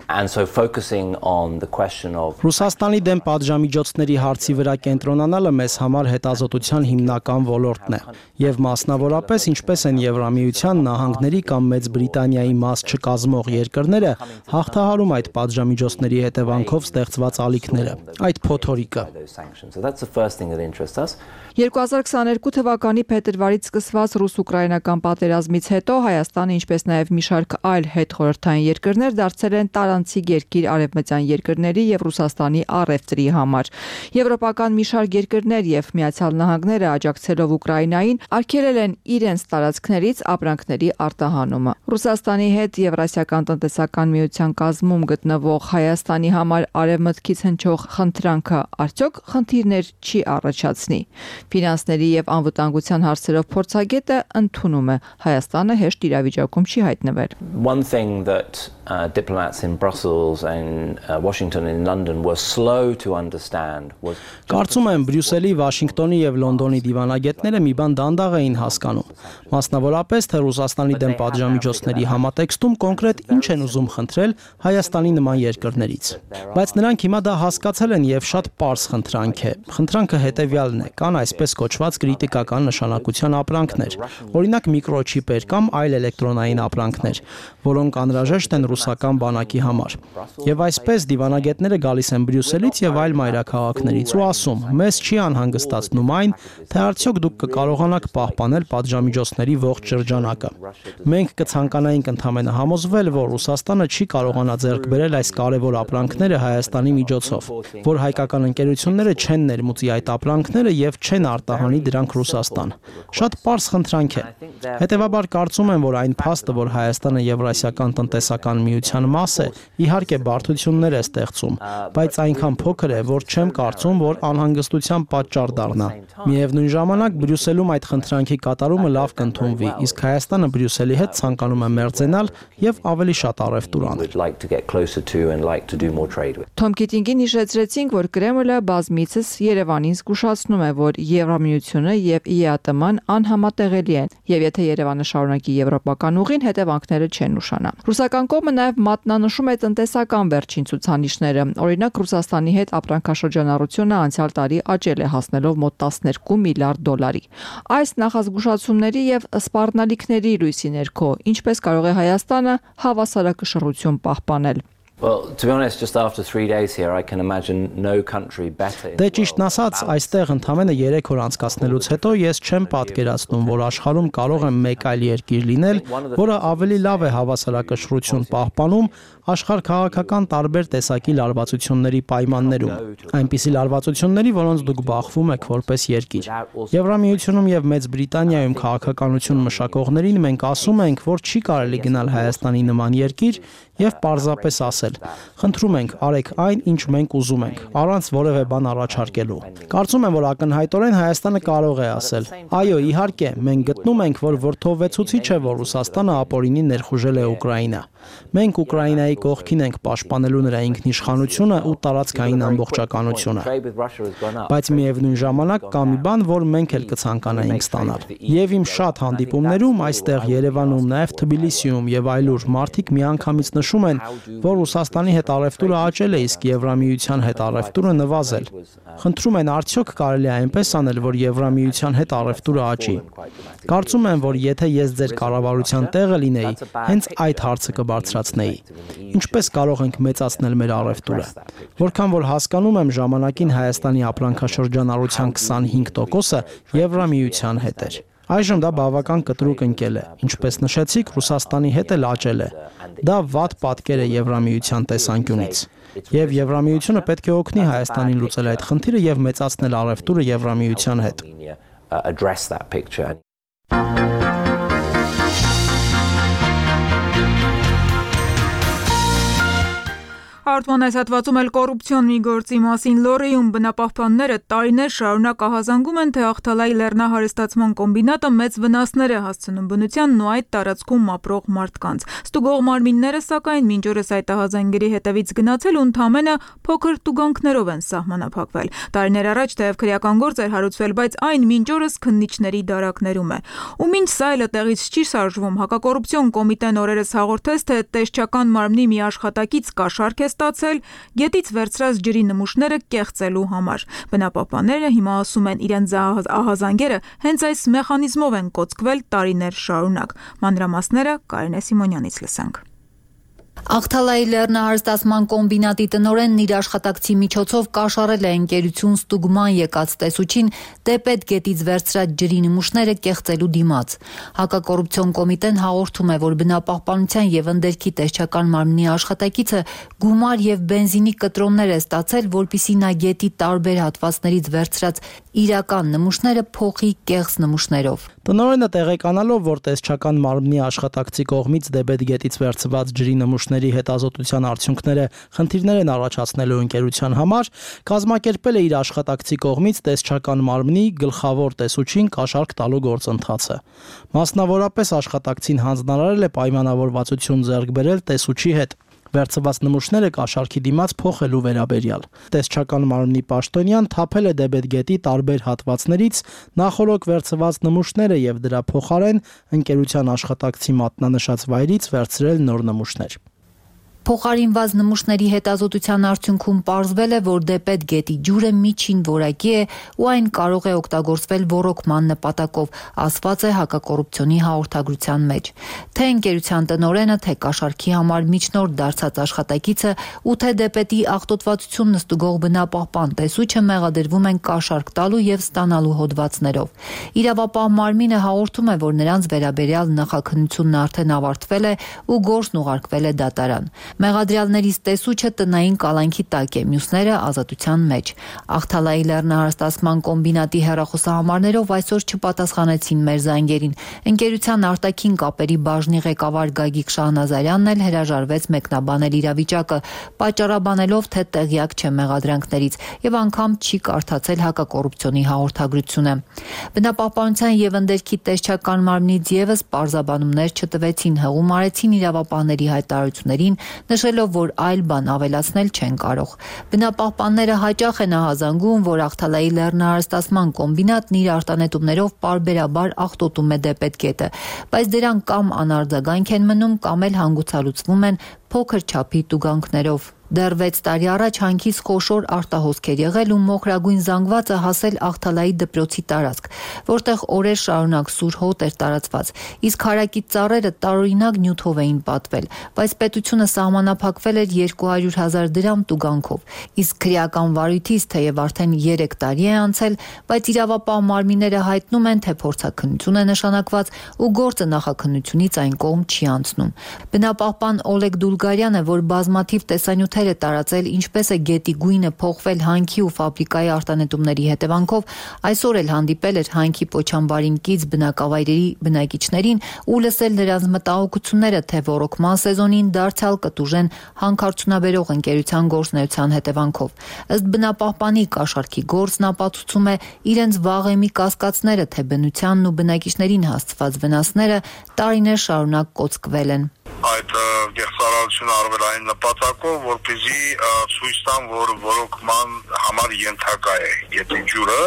Ռուսաստանի դեմ պատժամիջոցների հարցի վրա կենտրոնանալը մեզ համար հետազոտության հիմնական ոլորտն է, եւ մասնավորապես ինչպես են Եվրամիության, Նահանգների կամ Մեծ Բրիտանիայի մաս չկազմող երկրները հաղթահարում այդ պատժամիջոցների հետևանքով ստեղծված ալիքները, այդ փոթորիկը։ երկու հազար քսաներկու թվականի փետրվարից սկսված ռուս-ուկրաինական պատերազմից հետո Հայաստանը, ինչպես նաև մի շարք այլ հետխորհրդային երկրներ դարձել են տարանցիկ երկիր արևմտյան երկրների եւ Ռուսաստանի առևտրի համար։ Եվրոպական մի շարք երկրներ եւ Միացյալ Նահանգները աջակցելով Ուկրաինային արգելել են իրենց տարածքներից ապրանքների արտահանումը։ Ռուսաստանի հետ Եվրասիական տնտեսական միության կազմում գտնվող Հայաստանի համար արևմտքից հնչող խնդրանքը արդյոք խնդիրներ չի առաջացնի։ Ֆինանսների եւ անվտանգության հարցերով փորձագետը ընդունում է Հայաստանը հեշտ իրավիճակում չի հայտնվել։ One thing that uh, diplomats in Brussels and uh, Washington and London were slow to understand was Կարծում եմ Բրյուսելի, Վաշինգտոնի եւ Լոնդոնի դիվանագետները մի բան դանդաղ էին հասկանում։ Մասնավորապես թե Ռուսաստանի դեմ պատժամիջոցների համատեքստում կոնկրետ ինչ են ուզում խնդրել Հայաստանի նման երկրներից։ Բայց նրանք հիմա դա հասկացել են եւ շատ պարզ խնդրանք է։ Խնդրանքը հետեւյալն է. կան այսպես կոչված կրիտիկական նշանակության ապրանքներ, օրինակ միկրոչիպեր կամ այլ էլեկտրոնային ապրանքներ, որոնք անհրաժեշտ են ռուսական բանակի համար։ Եվ այսպես դիվանագետները գալիս են Բրյուսելից եւ այլ մայրաքաղաքներից ու ասում. մեզ չի անհանգստացնում այն, թե արդյոք դուք կկարողանաք պահպանել պատժամիջոցների ողջ շրջանակը։ Մենք կցանկանայինք ընդհանրապես համոզվել, որ Ռուսաստանը չի կարողանա ձեռք բերել այս կարևոր ապրանքները Հայաստանի միջոցով, որ հայկական ընկերությունները չեն ներմուծի այդ ապրանքները եւ չեն արտահանի դրանք Ռուսաստան։ Շատ պարզ խնդրանք է։ Հետևաբար կարծում եմ, որ այն փաստը, որ Հայաստանը Եվրասիական տնտեսական միության մաս է, իհարկե բարդություններ է ստեղծում, բայց այնքան փոքր է, որ չեմ կարծում, որ անհանգստության պատճառ դառնա։ Միևնույն ժամանակ Բրյուսելում այդ խնդրանքի կատարումը լավ կընդունվի, իսկ Հայաստանը Բրյուսելի հետ ցանկանում է մերձենալ եւ ավելի շատ առևտուր անել։ Թոմ Քիթինգին հիշեցրեցինք, որ Կրեմլը բազմիցս Երևանին զգուշացնում է, որ Եվրամիությունը եւ ի է ա տե ման անհամատեղելի են, եւ եթե Երևանը շարունակի եվրոպական ուղին, հետևանքները չեն ուշանա։ Ռուսական կողմը նաեւ մատնանշում է տնտեսական վերջին ցուցանիշները։ Օրինակ Ռուսաստանի հետ ապրանքաշրջանառությունը անցյալ տարի աճել է, հասնելով մոտ տասներկու միլիարդ դոլարի։ Այս նախազգուշացումների եւ սպառնալիքների լույսի ներքո ինչպես կարող է Հայաստանը հավասարակշռություն պահպանել։ Well, to be honest, just after three days here, I can imagine no country better. Դե ճիշտն ասած, այստեղ ընդամենը երեք օր անցկացնելուց հետո ես չեմ պատկերացնում, որ աշխարհում կարող է մեկ այլ երկիր լինել, որը ավելի լավ է հավասարակշռություն պահպանում աշխարհ քաղաքական տարբեր տեսակի լարվածությունների պայմաններում, այնպիսի լարվածությունների, որոնց դուք բախվում եք որպես երկիր։ Եվրամիությունում եւ Մեծ Բրիտանիայում քաղաքականություն մշակողներին մենք ասում ենք, որ չի կարելի գնալ Հայաստանի նման երկիր եւ պարզապես ասել. խնդրում ենք, արեք այն, ինչ մենք ուզում ենք, առանց որևէ բան առաջարկելու։ Կարծում եմ, որ ակնհայտորեն Հայաստանը կարող է ասել. այո, իհարկե, մենք գտնում ենք, որ որդովեցուցիչ է, որ Ռուսաստանը ապօրինի ներխուժել է Ուկրաինա։ Մենք Ուկրաինայի կողքին ենք պաշտպանելու նրա ինքնիշխանությունը ու տարածքային ամբողջականությունը։ Բայց միևնույն ժամանակ կա մի բան, որ մենք էլ կցանկանայինք ստանալ։ Եվ իմ շատ հանդիպումներում այստեղ Երևանում, նաև Թբիլիսիում եւ այլուր մարդիկ միանգամից նշում են, որ Ռուսաստանի հետ առևտուրը աճել է, իսկ Եվրամիության հետ առևտուրը նվազել։ Խնդրում են, արդյոք կարելի է այնպես անել, որ Եվրամիության հետ առևտուրը աճի։ Կարծում եմ, որ եթե ես ձեր կառավարության տեղը լինեի, հենց այդ հարցը կբարձրացնեի։ Ինչպես կարող ենք մեծացնել մեր առևտուրը։ Որքան որ հասկանում եմ, ժամանակին Հայաստանի ապրանքաշրջանառության քսանհինգ տոկոսը Եվրամիության հետ էր։ Այժմ դա բավական կտրուկ ընկել է, ինչպես նշեցիք, Ռուսաստանի հետ էլ աճել է։ Դա վատ պատկեր է Եվրամիության տեսանկյունից։ Եվ Եվրամիությունը պետք է օգնի Հայաստանին լուծել այդ խնդիրը եւ մեծացնել առևտուրը Եվրամիության հետ։ Արտման այս հատվածում էլ կոռուպցիոն մի գործի մասին լոռիում բնապահպանները տարիներ շարունակ ահազանգում են, թե Ախթալայի լեռնահարստացման կոմբինատը մեծ վնասներ է հասցնում բնությանն ու այդ տարածքում ապրող մարդկանց։ Ստուգող մարմինները, սակայն, մինչ օրս այդ ահազանգերի հետևից գնացել ու ընդամենը փոքր տուգանքներով են սահմանափակվել։ Տարիներ առաջ թեև քրեական գործ էր հարուցվել, բայց այն մինչ օրս քննիչների դարակներում է։ Ու մինչ սա էլ տեղից չի շարժվում, հակակոռուպցիոն կոմիտեն օրերս հաղորդեց, թե տեսչական մարմնի մի աշխատակից կաշառք է ստացել գետից վերցրած ջրի նմուշները կեղծելու համար։ Բնապահպանները հիմա ասում են, իրենց ահազանգերը հենց այս մեխանիզմով են կոծկվել տարիներ շարունակ։ Մանրամասները Կարինե Սիմոնյանից լսանք։ Ախթալայի լեռնահարստացման կոմբինատի տնօրենն իր աշխատակցի միջոցով կաշառել է ընկերություն ստուգման եկած տեսուչին դեպետ գետից վերցրած ջրի նմուշները կեղծելու դիմաց։ Հակակոռուպցիոն կոմիտեն հաղորդում է, որ բնապահպանության եւ ընդերքի տեսչական մարմնի աշխատակիցը գումար եւ բենզինի կտրոններ է ստացել, որպիսի նա գետի տարբեր հատվածներից վերցրած իրական նմուշները փոխի կեղծ նմուշներով։ Տնօրենը տեղեկանալով, որ տեսչական մարմնի աշխատակցի կողմից դեպետ գետից վերցված ջրի նմուշների հետազոտության արդյունքները խնդիրներ են առաջացնելու ընկերության համար, կազմակերպել է իր աշխատակցի կողմից տեսչական մարմնի գլխավոր տեսուչին կաշառք տալու գործընթացը։ Մասնավորապես աշխատակցին հանձնարարել է պայմանավորվածություն ձեռք բերել տեսուչի հետ վերցված նմուշները կաշառքի դիմաց փոխելու վերաբերյալ։ Տեսչական մարմնի պաշտոնյան թափել է դեպետ գետի տարբեր հատվածներից նախորոք վերցված նմուշները եւ դրա փոխարեն ընկերության աշխատակցի մատնանշած վայրից վերցրել նոր նմուշներ։ Փոխարինված նմուշների հետազոտության արդյունքում պարզվել է, որ դեպետ գետի ջուրը միջին որակի է ու այն կարող է օգտագործվել ոռոգման նպատակով, ասված է հակակոռուպցիոնի հաղորդագրության մեջ։ Թե ընկերության տնօրենը, թե կաշառքի համար միջնորդ դարձած աշխատակիցը ու թե դեպետի աղտոտվածությունն ստուգող բնապահպան տեսուչը մեղադրվում են կաշառք տալու եւ ստանալու հոդվածներով։ Իրավապահ մարմինը հաղորդում է, որ նրանց վերաբերյալ նախաքննությունն արդեն ավարտվել է ու գործն ուղարկվել է դատարան։ Մեղադրյալներից տեսուչը տնային կալանքի տակ է, մյուսները ազատության մեջ։ Ախթալայի լեռնահարստացման կոմբինատի հեռախոսահամարներով այսօր չպատասխանեցին մեր զանգերին։ Ընկերության արտաքին կապերի բաժնի ղեկավար Գագիկ Շահնազարյանն էլ հրաժարվեց մեկնաբանել իրավիճակը, պատճառաբանելով, թե տեղյակ չէ մեղադրանքներից եւ անգամ չի կարդացել հակակոռուպցիոնի հաղորդագրությունը։ Բնապահպանության եւ ընդերքի տեսչական մարմնից եւս պարզաբանումներ չտվեցին, հղում արեցին իրավապահների հայտարարություններին, նշելով, որ այլ բան ավելացնել չեն կարող։ Բնապահպանները հաճախ են ահազանգում, որ Ախթալայի լեռնահարստացման կոմբինատն իր արտանետումներով պարբերաբար աղտոտում է դեպետ գետը, բայց դրանք կամ անարձագանք են մնում, կամ էլ հանգուցալուծվում են փոքր չափի տուգանքներով։ Դեռ վեց տարի առաջ հանքից խոշոր արտահոսքեր եղել ու մոխրագույն զանգվածը հասել Աղթալայի դպրոցի տարածք, որտեղ օրեր շարունակ սուր հոտ էր տարածված, իսկ հարակից ծառերը տարօրինակ նյութով էին պատվել, բայց պետությունը սահմանափակվել էր երկու հարյուր հազար դրամ տուգանքով, իսկ քրեական վարույթից թեև արդեն երեք տարի է անցել, բայց իրավապահ մարմինները հայտնում են, թե փորձաքննություն է նշանակված ու գործը նախաքննությունից այն կողմ չի անցնում։ Բնապահպան Օլեգ Դուլգարյանը, որ բազմաթիվ տեսանյութեր է տարածել, ինչպես է գետի գույնը փոխվել հանքի ու ֆաբրիկայի արտանետումների հետևանքով, այսօր էլ հանդիպել էր հանքի Պոչամբարին կից բնակավայրերի բնակիչներին ու լսել նրանց մտահոգությունները, թե ոռոգման սեզոնին դարձյալ կտուժեն հանքարդյունաբերող ընկերության գործունեության հետևանքով։ Ըստ բնապահպանի կաշառքի գործն ապացուցում է իրենց վաղեմի կասկածները, թե բնությանն ու բնակիչներին հասցված վնասները տարիներ շարունակ կոծկվել են։ Այդ գեղձարարությունը արվել այն նպատակով, որպեսզի ցույց տան, որ ոռոգման համար ենթակա է գետի ջուրը,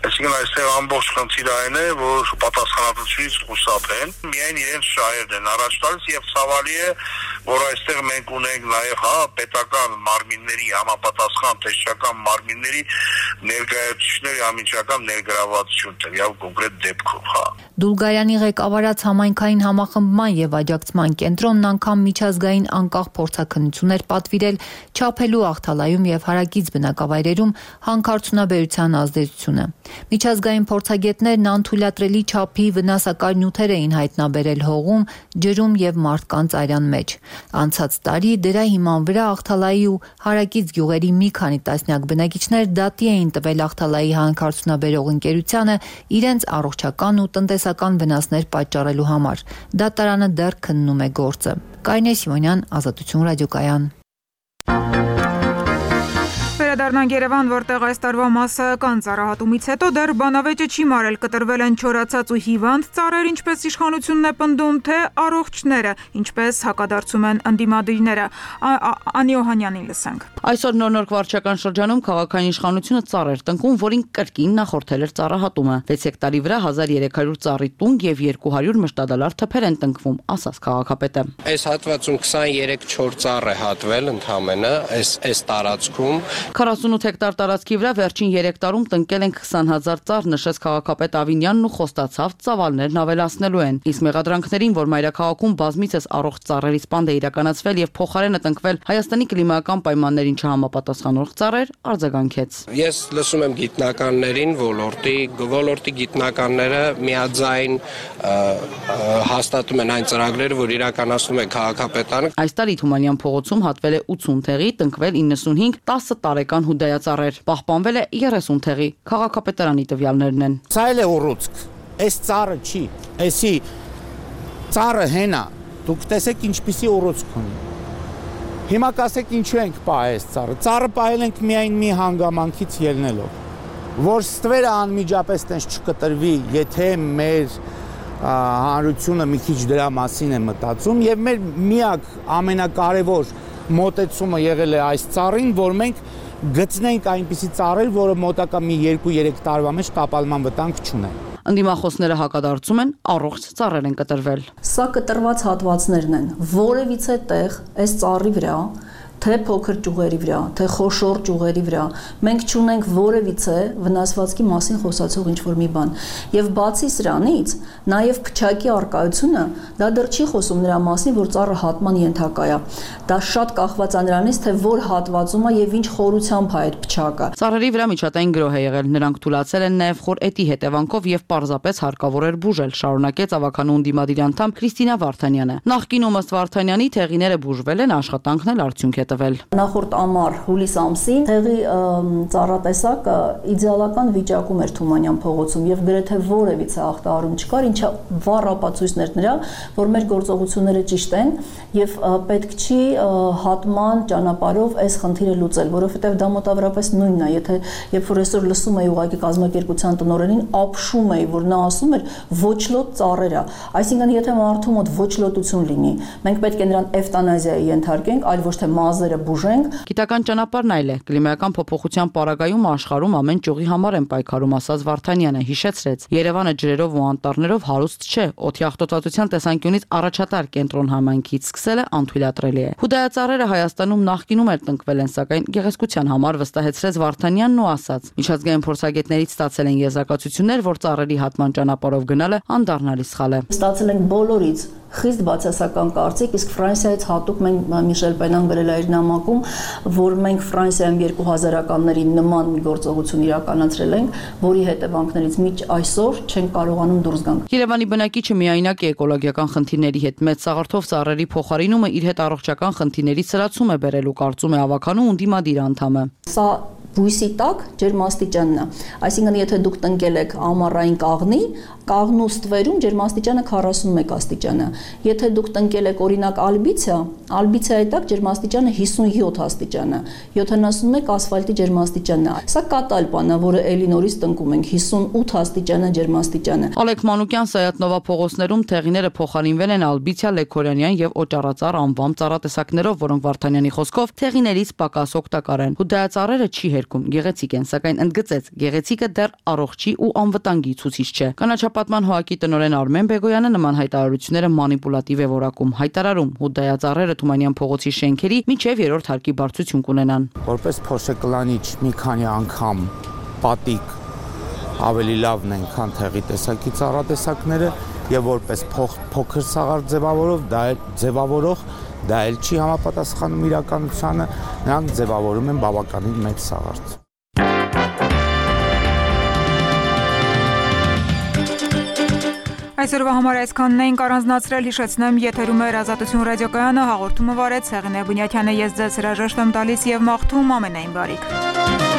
այսինքն այստեղ ամբողջ խնդիրը այն է, որ պատասխանատվությունից խուսափեն, միայն իրենց շահերն են առաջ տալիս եւ ցավալի է, որ այստեղ մենք ունենք նաեւ հա պետական մարմինների համապատասխան տեսչական մարմինների ներկայացուցիչների ամիջական ներգրավվածություն տվյալ կոնկրետ դեպքով, հա։ Դուլգարյանի ղեկավարած համայնքային համախմբման եւ աջակցման կենտրոնն անգամ միջազգային անկախ փորձաքննություն էր պատվիրել չափելու Աղթալայում եւ հարակից բնակավայրերում հանքարդյունաբերության ազդեցությունը։ Միջազգային փորձագետներն անթույլատրելի չափի վնասակար նյութեր էին հայտնաբերել հողում, ջրում եւ մարդկանց արյան մեջ։ Անցած տարի դրա հիման վրա Աղթալայի ու հարակից գյուղերի մի քանի տասնյակ բնակիչներ դատի էին տվել Աղթալայի հանքարդյունաբերող ընկերությանը իրենց առողջական ու տնտեսական վնասներ պատճառելու համար։ Դատարանը դեռ քննում է գործը։ Կարինե Սիմոնյան, Ազատություն ռադիոկայան։ Վերադառնանք Երևան, որտեղ այս տարվա մասսայական ծառահատումից հետո դեռ բանավեճը չի մարել, կտրվել են չորացած ու հիվանդ ծառեր, ինչպես իշխանությունն է պնդում, թե առողջները, ինչպես հակադարձում են ընդդիմադիրները։ Անի Օհանյանին լսենք։ Այսօր նոր-նոր վարչական շրջանում քաղաքային իշխանությունը ծառ էր տնկում, որին կրկին նախորդել էր ծառահատումը։ վեց հեկտարի վրա հազար երեք հարյուր ծառի տունգ եւ երկու հարյուր մշտադալար թփեր են տնկվում, ասաց քաղաքապետը։ Այս հատվածում քսաներեք չոր ծառ է հատվել ընդհանրապես, այս այս տարածքում քառասունութ հեկտար տարածքի վրա վերջին երեք տարում տնկել են քսան հազար ծառ, նշեց քաղաքապետ Ավինյանն ու խոստացավ ծավալներն ավելացնելու են։ Իսկ մեղադրանքներին, որ մայրաքաղաքում բազմիցս առողջ ծառերի սպանդ է իրականացվել եւ փոխարենը տնկվել Հայաստանի կլիմայական պայմաններին չհամապատասխանող ծառեր, արձագանքեց։ Ես լսում եմ գիտնականներին, ոլորտի ոլորտի գիտնականները միաձայն հաստատում են այն ծրագրերը, որ իրականացնում է քաղաքապետարանը։ Այս տարի Թումանյան փողոցում հատվել է ութսուն թեղի, տնկվել իննսունհինգ տասը տարեկան հուդայածառեր, պահպանվել է երեսուն թեղի, քաղաքապետարանի տվյալներն են։ Սա էլ է ուռուցք, այս ծառը չի, էսի ծառը հենա, դուք տեսեք ինչպիսի ուռուցք ունի։ Հիմա կասեք ինչու ենք պահել այս ծառը։ Ծառը պահել ենք միայն մի հանգամանքից ելնելով, որ ստվերը անմիջապես տենց չկտրվի, եթե մեր հանրությունը մի քիչ դրա մասին է մտածում եւ մեր միակ ամենակարևոր մոտեցումը եղել է այս ծառին, որ մենք գտնենք այնպիսի ծառեր, որը մոտակա մի երկու երեք տարվա մեջ տապալման վտանգ չունեն։ Ընդդիմախոսները հակադարձում են, առողջ ծառեր են կտրվել։ Սա կտրված հատվածներն են, որևիցե տեղ այս ծառի վրա, թե փոքր ճյուղերի վրա, թե խոշոր ճյուղերի վրա, մենք չունենք որևիցե վնասվածքի մասին խոսացող ինչ-որ մի բան։ Եվ բացի սրանից, նաև փչակի արկայությունը դա դեռ չի խոսում նրա մասին, որ ծառը հատման ենթակա է։ Դա շատ կախված է նրանից, թե որ հատվածում է եւ ինչ խորությամբ է այդ փչակը։ Ծառերի վրա միջատային գրոհ է եղել, նրանք թույլատրել են նաև խոր էտի հետևանքով եւ պարզապես հարկավոր էր բուժել, շարունակեց ավականու ընդդիմադիր անդամ Քրիստինա Վարդանյանը։ Նախկինում ըստ Վարդանյանի թեղիները բուժվել են, աշխատանքն էլ արդյունք է տվել։ Նախորդ ամառ հուլիս ամսին թեղի ծառատեսակը իդեալական վիճակում էր Թումանյան փողոցում եւ գրեթե որևիցե ախտահարում չկար, ինչը վառ ապացույցներ նրա, որ մեր գործողությունները ճիշտ են եւ պետք չի հատման ճանապարհով այս խնդիրը լուծել, որովհետեւ դա մոտավորապես նույնն է, եթե երբ որ այսօր լսում էի ուղղակի կազմակերպության տնօրենին, ապշում էի, որ նա ասում էր ոչ լոտ ծառերա, այսինքն եթե մարդու մոտ ոչ լոտություն լինի, մենք պետք է նրան էվտանազիայի ենթարկենք, այլ ոչ թե մազ մազերը բուժենք։ Գիտական ճանապարհն այլ է։ Կլիմայական փոփոխության պարագայում աշխարհում ամեն ճյուղի համար են պայքարում, ասաց Վարդանյանը, հիշեցրեց. Երևանը ջրերով ու անտառներով հարուստ չէ, օդի աղտոտվածության տեսանկյունից առաջատար կենտրոն համայնքից սկսելը անթույլատրելի է։ Հուդայածառերը Հայաստանում նախկինում էլ տնկվել են, սակայն գեղեցկության համար վստահեցրեց Վարդանյանն ու ասաց. Միջազգային փորձագետներից ստացել են եզրակացություններ, որ ծառերի հատման ճանապարհով գնալը անդառնալի սխալ է։ Ստացել ենք բոլորից խիստ բացասական կարծիք, իսկ Ֆրանսիայից հատուկ մենք Միշել Պենան գրել է իր նամակում, որ մենք Ֆրանսիայում երկու հազարականների նման մի գործողություն իրականացրել ենք, որի հետևանքներից միջ այսօր չենք կարողանում դուրս գանք։ Երևանի բնակիչը միայնակ է էկոլոգիական խնդիրների հետ, մեծ սաղարթով ծառերի փոխարինումը իր հետ առողջական խնդիրների սրացում է բերելու, կարծում է ավականու ունդիմադիր անդամը։ Սա բույսի տակ ջերմաստիճանն է։ Այսինքն, եթե դուք տնկել եք ամառային կաղնի, կաղնու ստվերում ջերմաստիճանը քառասունմեկ աստիճան է։ Եթե դուք տնկել եք օրինակ ալբիցիա, ալբիցիայի տակ ջերմաստիճանը հիսունյոթ աստիճան է, յոթանասունմեկ ասֆալտի ջերմաստիճանն է։ Սա կատալ բան է, որը էլի նորից տնկում ենք, հիսունութ աստիճան է ջերմաստիճանը։ Ալեք Մանուկյան Սայաթ-Նովա փողոցներում թեղիները փոխարինվել են ալբիցիա, լեքորյանյան եւ օճառածառ անվամ ծառատեսակներով, որոնք Վարդանյանի խոսքով թեղիներից պակաս օգտակար են։ Հուդայածառերը չի հերքում, գեղեցիկ են, սակայն ընդգծեց, գեղեցիկը դեռ առողջի ու անվտանգի ցուցիչ չէ։ Կանաչապատման հոակի տնօրեն Արմեն Բեգոյանը նման հայտարարությունները մանիպուլատիվ է որակում, հայտարարում հուդայածառերը Թումանյան փողոցի շենքերի միջև երրորդ հարկի բարձրություն կունենան։ Որպես փոշեկլանիչ մի քանի անգամ պատիկ ավելի լավն են, քան թեղի տեսակի ծառատեսակները եւ որպես փոքր սաղար ձևավորող դա ձևավորող դա էլ չի համապատասխանում իրականությանը, նրանք ձևավորում են բավականին մեծ սաղարթ։ Այսօրվա համար այսքանն էինք առանձնացրել, հիշեցնեմ, եթերում էր Ազատություն ռադիոկայանը, հաղորդումը վարեց Հեղինե Բունյաթյանը, ես ձեզ հրաժեշտ եմ տալիս եւ մաղթում ամենայն բարիք։